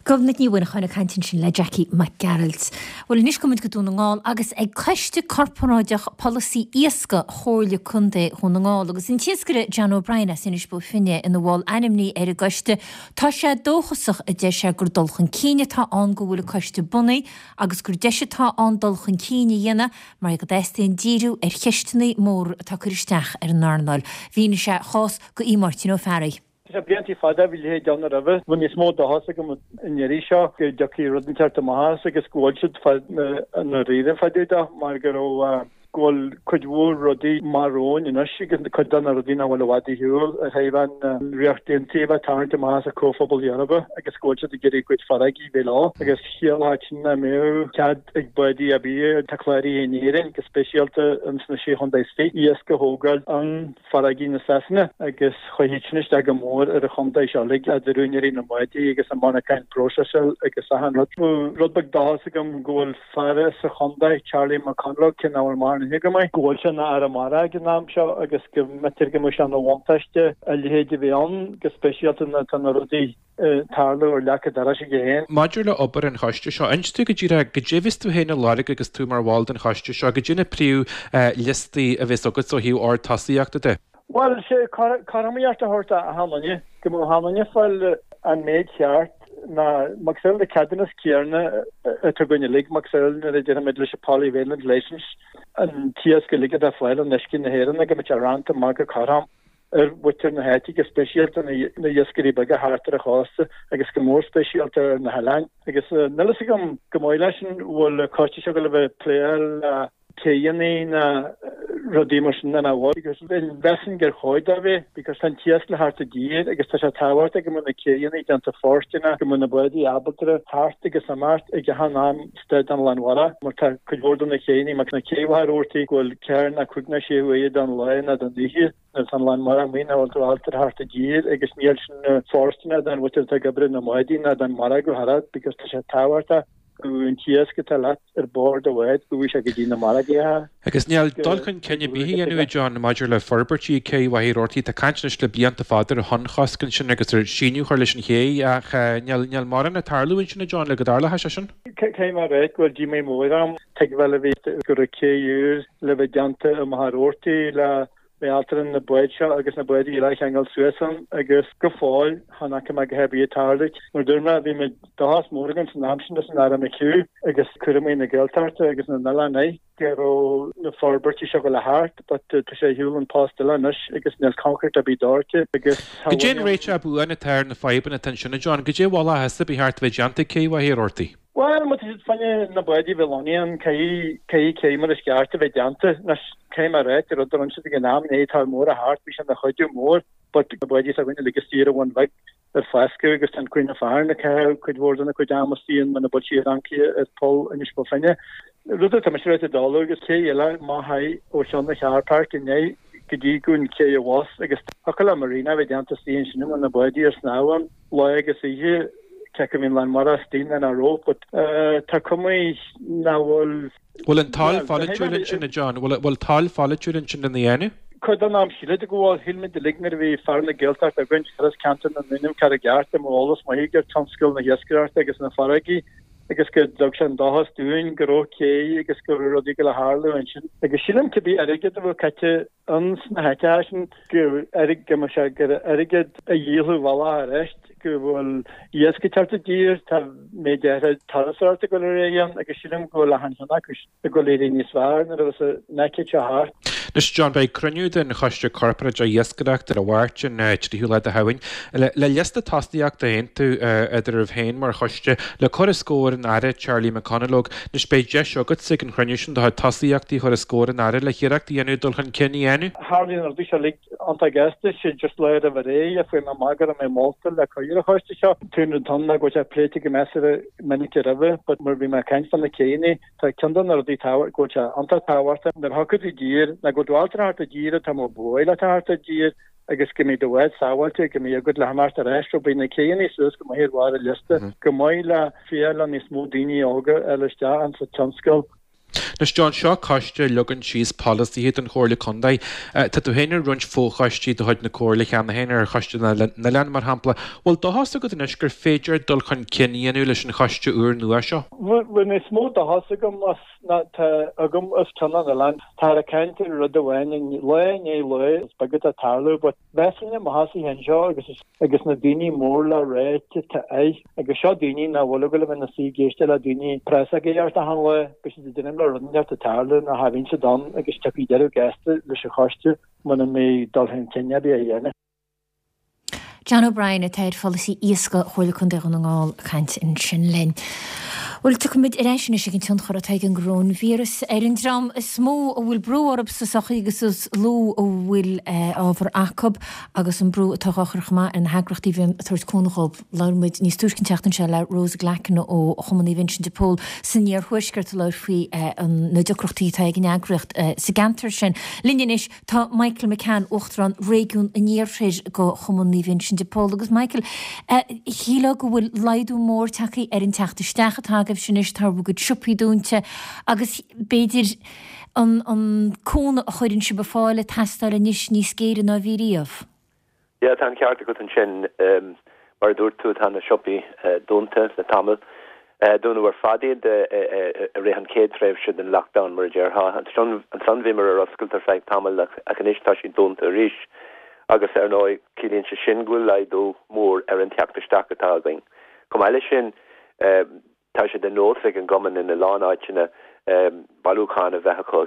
Gobnait Ní Mhuineacháin ag caint ansin le Jackie Mac Gearailt. Bhuel anois gabhfaidh muid go Dún na nGall agus ag Coiste Corparáideach Polasaí Iascaigh Chomhairle Contae Dhún na nGall agus an t-iascaire John O'Brien as Inis Bó Finne ina bhall ainmnithe ar an gcoiste. Tá sé dóchasach, a deir sé, gur dul chun cinn atá ann go bhfuil an coiste bunaithe agus gur deis atá ann dul chun cinn a dhéanamh mar go dteastaíonn díriú ar cheisteanna móra atá ag cur isteach ar an earnáil. Mhínigh sé a chás do Aodh Máirtín Ó Fearraigh. Tá sé bliantaí fada bhí leithéid ann roimhe. Bhí níos mó dóchas agam an iarraidh seo go dtiocfaidh rud inteacht amach as agus go bhfuil siad fá ndáiríre fá dtaobh de mar go raibh go bhfuil cuid mhór rudaí amach romhainn anois agus cuid de na rudaí nach bhfuil i bhfad ar shiúl ar thaobh an Ríocht Aontaithe a bheith ag tarraingt amach as an Comhphobal Eorpach agus go bhfuil siad ag iarraidh a gcuid farraigí bheith leo agus chiallódh sin nach mbeadh cead ag bádaí ar bith atá cláraithe in Éirinn go speisialta ins na Sé Chontae Istigh iasc a thógáil an farraigí na Sasana agus chuaigh sin isteach go mór ar an chontae seo uilig, idir úinéirí na mbádaí agus an monarcháin próiseála agus achan rud. Rud beag dóchas agam go bhfuil fear as an chontae, Charlie McConalogue, cé nach bhfuil mórán aithne agam air, go bhfuil sé ina Aire Mara ag an am seo agus go mb'fhéidir go mbeadh sé ina bhuntáiste a leithéid a bheith ann, go speisialta nuair atá na rudaí ag tarlú ar leac an dorais aige féin. Maidir le obair an choiste seo, inis dúinn go díreach goidé a bheas tú féin ag lorg agus tú mar bhall den choiste seo, goidé na príomh liostaí a bheas agat ó thaobh ord tosaíochta de. Bhuel, sé cothromaíocht a thabhairt d'achan duine, go mbeadh achan duine ag fáil an méid cheart ná macasamhail na ceadúnas céanna atá againn uilig, macasamhail nuair a déarfaimid leis an Polyvalent Licence, an t-iasc uilig atá ag fáil in uisce na hÉireann go mbeadh sé roinnte amach go cothrom. ar mhuintir na háite, go speisialta na hiascairí beaga thart ar an chósta agus go mór speisialta ar na hoileáin. Agus níl fhios agam go maith leis an bhfuil an coiste seo ag gabháil a bheith ag pléáil le céidheanna ná rudaí mar sin ná bhfuil because mheasfainn gur chóir dó bheith because tá an t-iasc le theacht i dtír agus tá sé tábhachtach go mbeadh na céidheanna déanta fóirsteanach, go mbeadh na bádaí ábalta theacht agus imeacht ag achan am istigh den lán mhara mar tá cuid mhór de na céidheanna mar na cé Mhachaire Rabhartaigh go bhfuil ceathair nó cúig nó sé huaire den lá nó den oíche nuair atá an lán mara amuigh nach bhfuil tú ábalta theacht i dtír agus níl sin fóirsteanach don mhuintir atá ag obair na mbádaí ná don margadh thar because tá sé tábhachtach go bhfuil an t-iasc atá leat ar bord do bhád go bhfuil sé go dtí na margaí. Agus níl dul chun cinn ar bith á dhéanamh, a John, maidir le forbairtí ag cé Mhachaire Rabhartaigh. Tá caint anois le blianta fada ar thonnchosc ansin agus ar síneadh a chur leis an ché ach níl mórán ag tarlú ansin, a John, le go dtarlódh sé sin. Caithfidh mé a rá go bhfuil díomá mór orm tuigbheáil a bhí go raibh cé úr le bheith déanta i Machaire Rabhartaigh le. Bhí ábalta na báid seo agus na báid eile a cheangal suas ann agus go fóill chan fhaca mé a dhath ar bith ag tarlú. Mar dúirt mé, bhí muid dóchas mór againn san am sin leis an Aire McHugh agus cúramaí na Gaeltachta agus na n-oileán air go raibh na forbairtí seo ag dul a theacht but tá sé ar shiúl an post eile anois agus níl coincréit ar bith doirte agus Goidé an réiteach buan atá ar na fadhbanna atá ansin, a John? Goidé a mholfá thusa ba cheart a bheith déanta ag Cé Mhachaire Rabhartaigh? Bhuel, má tá siad fá choinne na báid a bheith lonnaithe ann, caithfidh, caithfidh cé mar is ceart a bheith déanta. Anois, caithfidh mé a ráit, rud a rinne siad ag an am, ní tor mór a theacht, bhí sé ina chuidiú mór, but na báidí s'againne uilig istigh ar an Bhun Bheag ar foscadh agus tá an Queen of Aran ag caitheamh cuid mhór dena cuid ama istigh ann muna bhfuil sí ar ancaire ar Pholl Inis Bó Finne. Rud atá mise ráite dála agus cé eile má thaigh ó cheann na Car Park inné go dtí go an cé abhus agus thiocfadh le marina a bheith déanta istigh ansin a bhfuil na báidí ar snámh ann. lá agus oíche, cé acu a bhíonn lán mara istigh nó nach raibh, but tá cuma nach bhfuil. Bhfuil an toil pholaitiúil ansin, a John? Bhfuil toil pholaitiúil ansin lena dhéanamh? Cuid den am sílid go bhfuil. Shíl muid uilig nuair a bhí fear na Gaeltachta againn, chuireas ceantar na nDúnaibh ceart i gceart, dá mbeadh eolas maith aige ar tionscal na hiascaireachta agus na farraigí agus go dtug sé an dóchas dúinn go raibh cé agus go raibh rudaí ag dul a tharlú ansin. Agus sílim cibé airgead a bheadh caite ins na háiteacha sin go mbeadh sé gur airgead a dhíolfadh a bhealach arís, go bhfuil iasc ag teacht i dtír, tá méid áirithe turasóireachta ag dul ar aghaidh ann agus sílim go bhfuil achan cheann acu ag dul éirí níos fearr nuair a bheas an aicíd seo thart. Anois John, beidh cruinniú den Choiste Corparáideach Iascaireachta ar an Mháirt, an 3ú lá de Shamhain, le liosta tosaíochta a aontú eadraibh féin mar choiste le cur os comhair an Aire Charlie McConalogue. Anois beidh deis agatsa ag an chruinniú sin do chuid tosaíochtaí a chur os comhair an Aire le hiarracht a dhéanamh dul chun cinn a dhéanamh. Tharlaíonn na rudaí seo uilig iontach gasta, sé just lá roimh ré a fuair mé amach go raibh mé molta le cur ar an choiste seo. An rud atá ann ná go bhfuil sé pléite go measartha minic roimhe but mar bhí mé ag caint fá na céanna, tá ceann de na rudaí tábhacht, go bhfuil sé iontach tábhachtach nuair a thiocfaidh tú i dtír, ná go bhfuil tú ábalta theacht i dtír atá mar bhuail le theacht i dtír agus go mbeidh do bhád sábháilte, go mbeidh agat le himeacht ar ais, so beidh na céanna suas go maith ar bharr an liosta, go maith le fiach le níos mó daoine óga a fháil isteach insa tionscal. Anois John, seo coiste a leagann síos polasaithe don Chomhairle Contae. Tá tú féin ar roinnt fochoistí de chuid na Comhairle cheana féin, ar Choiste na nOileán mar shampla. Bhfuil dóchas agat anois gur féidir dul chun cinn a dhéanamh leis an choiste úr nua seo? Bhfuil níos mó dóchas agam as ná tá agam os cionn an oileáin. Táthar ag caint ar rud amháin in lá i ndiaidh lae, is beag atá ag tarlú, but mheasfainn i mo sheasamh anseo agus agus na daoine mór le ráite atá air, agus seo daoine nach bhfuil ag dul a bheith ina suí ag éisteacht le daoine press ag éireacht achan lá, beidh siad ag déanamh le rud inteacht ag tarlú nó cha bhíonn siad ann agus tiocfaidh deireadh gasta leis an choiste muna mbeidh dul chun cinn ar bith á dhéanamh. John O'Brien atá ar pholasaí iascaigh Chomhairle Contae Dhún na nGall ag caint ansin linn. Bhuel, tiocfaimid ar ais anois ag an tionchar atá ag an gcoróinvíreas ar an dream is mó a bhfuil brú orthu sa sochaí agus is lú a bhfuil ábhar acu agus an brú atá á chur chomh maith ar na heagraíochtaí a bhíonn ag tabhairt cúnamh dhóibh. Labhair muid níos túisce an tseachtain seo le Rose Glackin ó Chumann Naomh Uinseann de Pól san iarthuaisceart a labhair faoi na deacrachtaí atá ag an eagraíocht sa gceantar sin. Linn anois Tá Michael McCann, Uachtarán Réigiún an Iarthair de Chumann Naomh Uinseann de Pól agus Michael, shílfeá go bhfuil laghdú mór tagtha ar an teacht isteach atá agaibhse anois, tá bhur gcuid siopaí dúnta agus b'fhéidir an an cúnamh a chuireann sibh ar fáil ag teastáil anois níos géire ná a bhí riamh. Yeah, tá an ceart agat ansin. Mar a dúirt tú, tá na siopaí dúnta le tamall. Dúnadh ar fad iad i rith an chéad tréimhse den lockdown, mar a déarfá. Ansan bhíomar ar oscailt ar feadh tamaill ach anois tá siad dúnta arís. Agus ar ndóigh, ciallaíonn sé sin go bhfuil laghdú mór ar an teacht isteach atá againn. Chomh maith leis sin, Tá sé de nós ag an gcumann ina lán áiteanna bailiúchán a bheith acu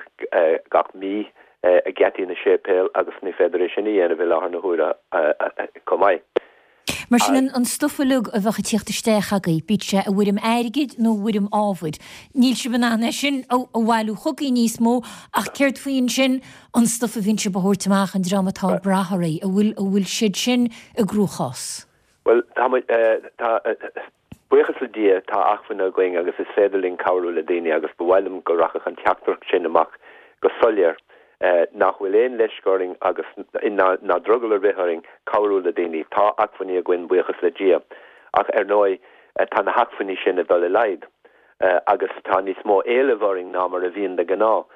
gach mí ag geataí na séipéal agus ní féidir é sin a dhéanamh i láthair na huaire chomh maith. Mar sin, an stuif uilig a bheadh ag tíocht isteach agaibh, bíodh sé i bhfoirm airgid nó i bhfoirm ábhair, níl sibh in ann é sin a bhailiú chugaibh níos mó, ach céard faoi ansin an stuif a bhíonn sibh a thabhairt amach, an dream atá ag brath oraibh, an bhfuil, an bhfuil siad sin i gcruachás? Bhuel, tá muid, tá, buíochas le Dia, tá acmhainn againn agus is féidir linn cabhrú le daoine agus ba mhaith liom go rachadh an teachtaireacht sin amach go soiléir, nach bhfuil aon leisce orainn agus ná ná drogall ar bith orainn cabhrú le daoine. Tá acmhainní againn, buíochas le Dia, ach ar ndóigh tá na hacmhainní sin ag dul i laghad agus tá níos mó éilimh orainn ná mar a bhíonn de ghnáth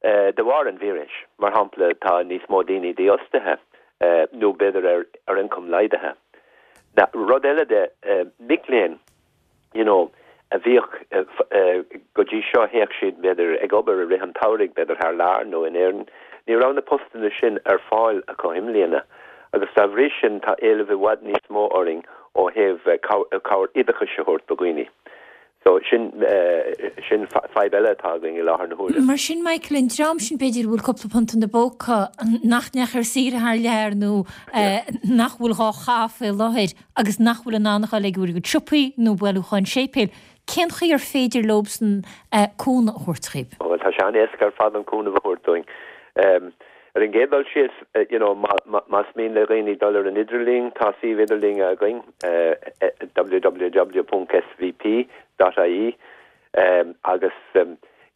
de bharr an víris. Mar shampla, tá níos mó daoine dífhostaithe nó b'fhéidir ar ioncam laghdaithe. Rud eile de, mic léinn, you know, a bhíodh go dtí seo, théadh siad b'fhéidir ag obair i rith an tsamhraidh, b'fhéidir thar lear nó in Éirinn. Ní raibh na postanna sin ar fáil acu i mbliana agus dá bhrí sin tá éileamh i bhfad níos mó orainn ó thaobh cabhair oideachais a thabhairt do dhaoine. So sin, sin fadhb eile atá againn i láthair na huaire. Mar sin, Michael, an dream sin b'fhéidir a bhfuil cúpla punt ina bpóca, nach ndeachaigh ar saoire thar lear nó nach bhfuil dhá chaitheamh faoi láthair agus nach bhfuil in ann a dhul ag a gcuid siopaí nó bailiúcháin séipéil, cén chaoi ar féidir leobsan cúnamh a thabhairt dhaoib? Bhuel, tá sé an-éasca ar fad an cúnamh a thabhairt dúinn. Ar an gcéad dul síos, you know, más mian le dhaoine dul ar an idirlíon, tá suíomh idirlín againn, www.svp.ie, agus,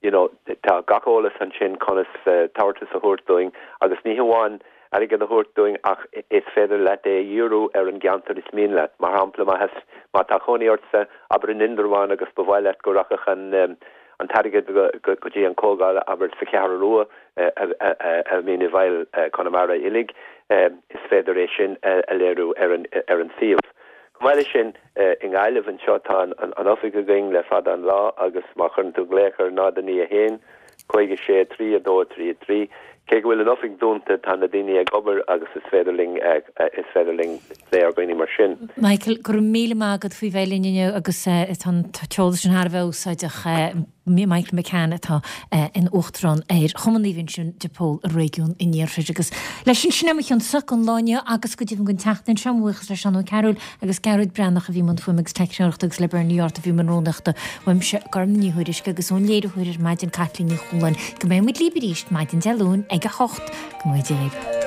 you know, tá gach eolas ansin conas tabhartas a thabhairt dúinn agus ní hamháin airgead a thabhairt dúinn ach is féidir leat é a dhíriú ar an gceantar is mian leat. Mar shampla, má tá cónaí ortsa, abair in Indreabhán agus ba mhaith leat go rachadh an an t-airgead go dtí an comhdháil, abair, sa Cheathrú Rua a bhíonn i bhfeighil Conamara uilig, is féidir é sin a léiriú ar an suíomh. Chomh maith leis sin, i nGaillimh anseo tá an oifig againn le fada an lá agus má chuireann tú glaoch ar 0 9 1 56 3 2 3 3, cé go bhfuil an oifig dúnta tá na daoine ag obair agus is féidir linn is féidir linn plé ar dhaoine mar sin. Michael, go raibh míle maith agat faoi bheith linn inniu agus tá an t-eolas sin thar a bheith úsáideach. Michael McCann atá ina Uachtarán ar Chumann Naomh Uinseann de Pól i réigiún an Iarthair. Agus leis sin, sin é mo chionn-sa don lá inniu agus go deimhin don tseachtain seo. Mo bhuíochas le Seán Ó Cearúil agus Gearóid Breathnach a bhí i mbun fuaime agus teicneoireachta agus le Bernie Yortt a bhí i mbun rúnaíochta. Uaimse, Gorm Ní Thuairisg agus ón léiritheoir ar maidin Caitlín Ní Chualáin. Go mbeidh muid libh arís maidin Dé Luain ag a 8. Go ngnóthaí Dia libh.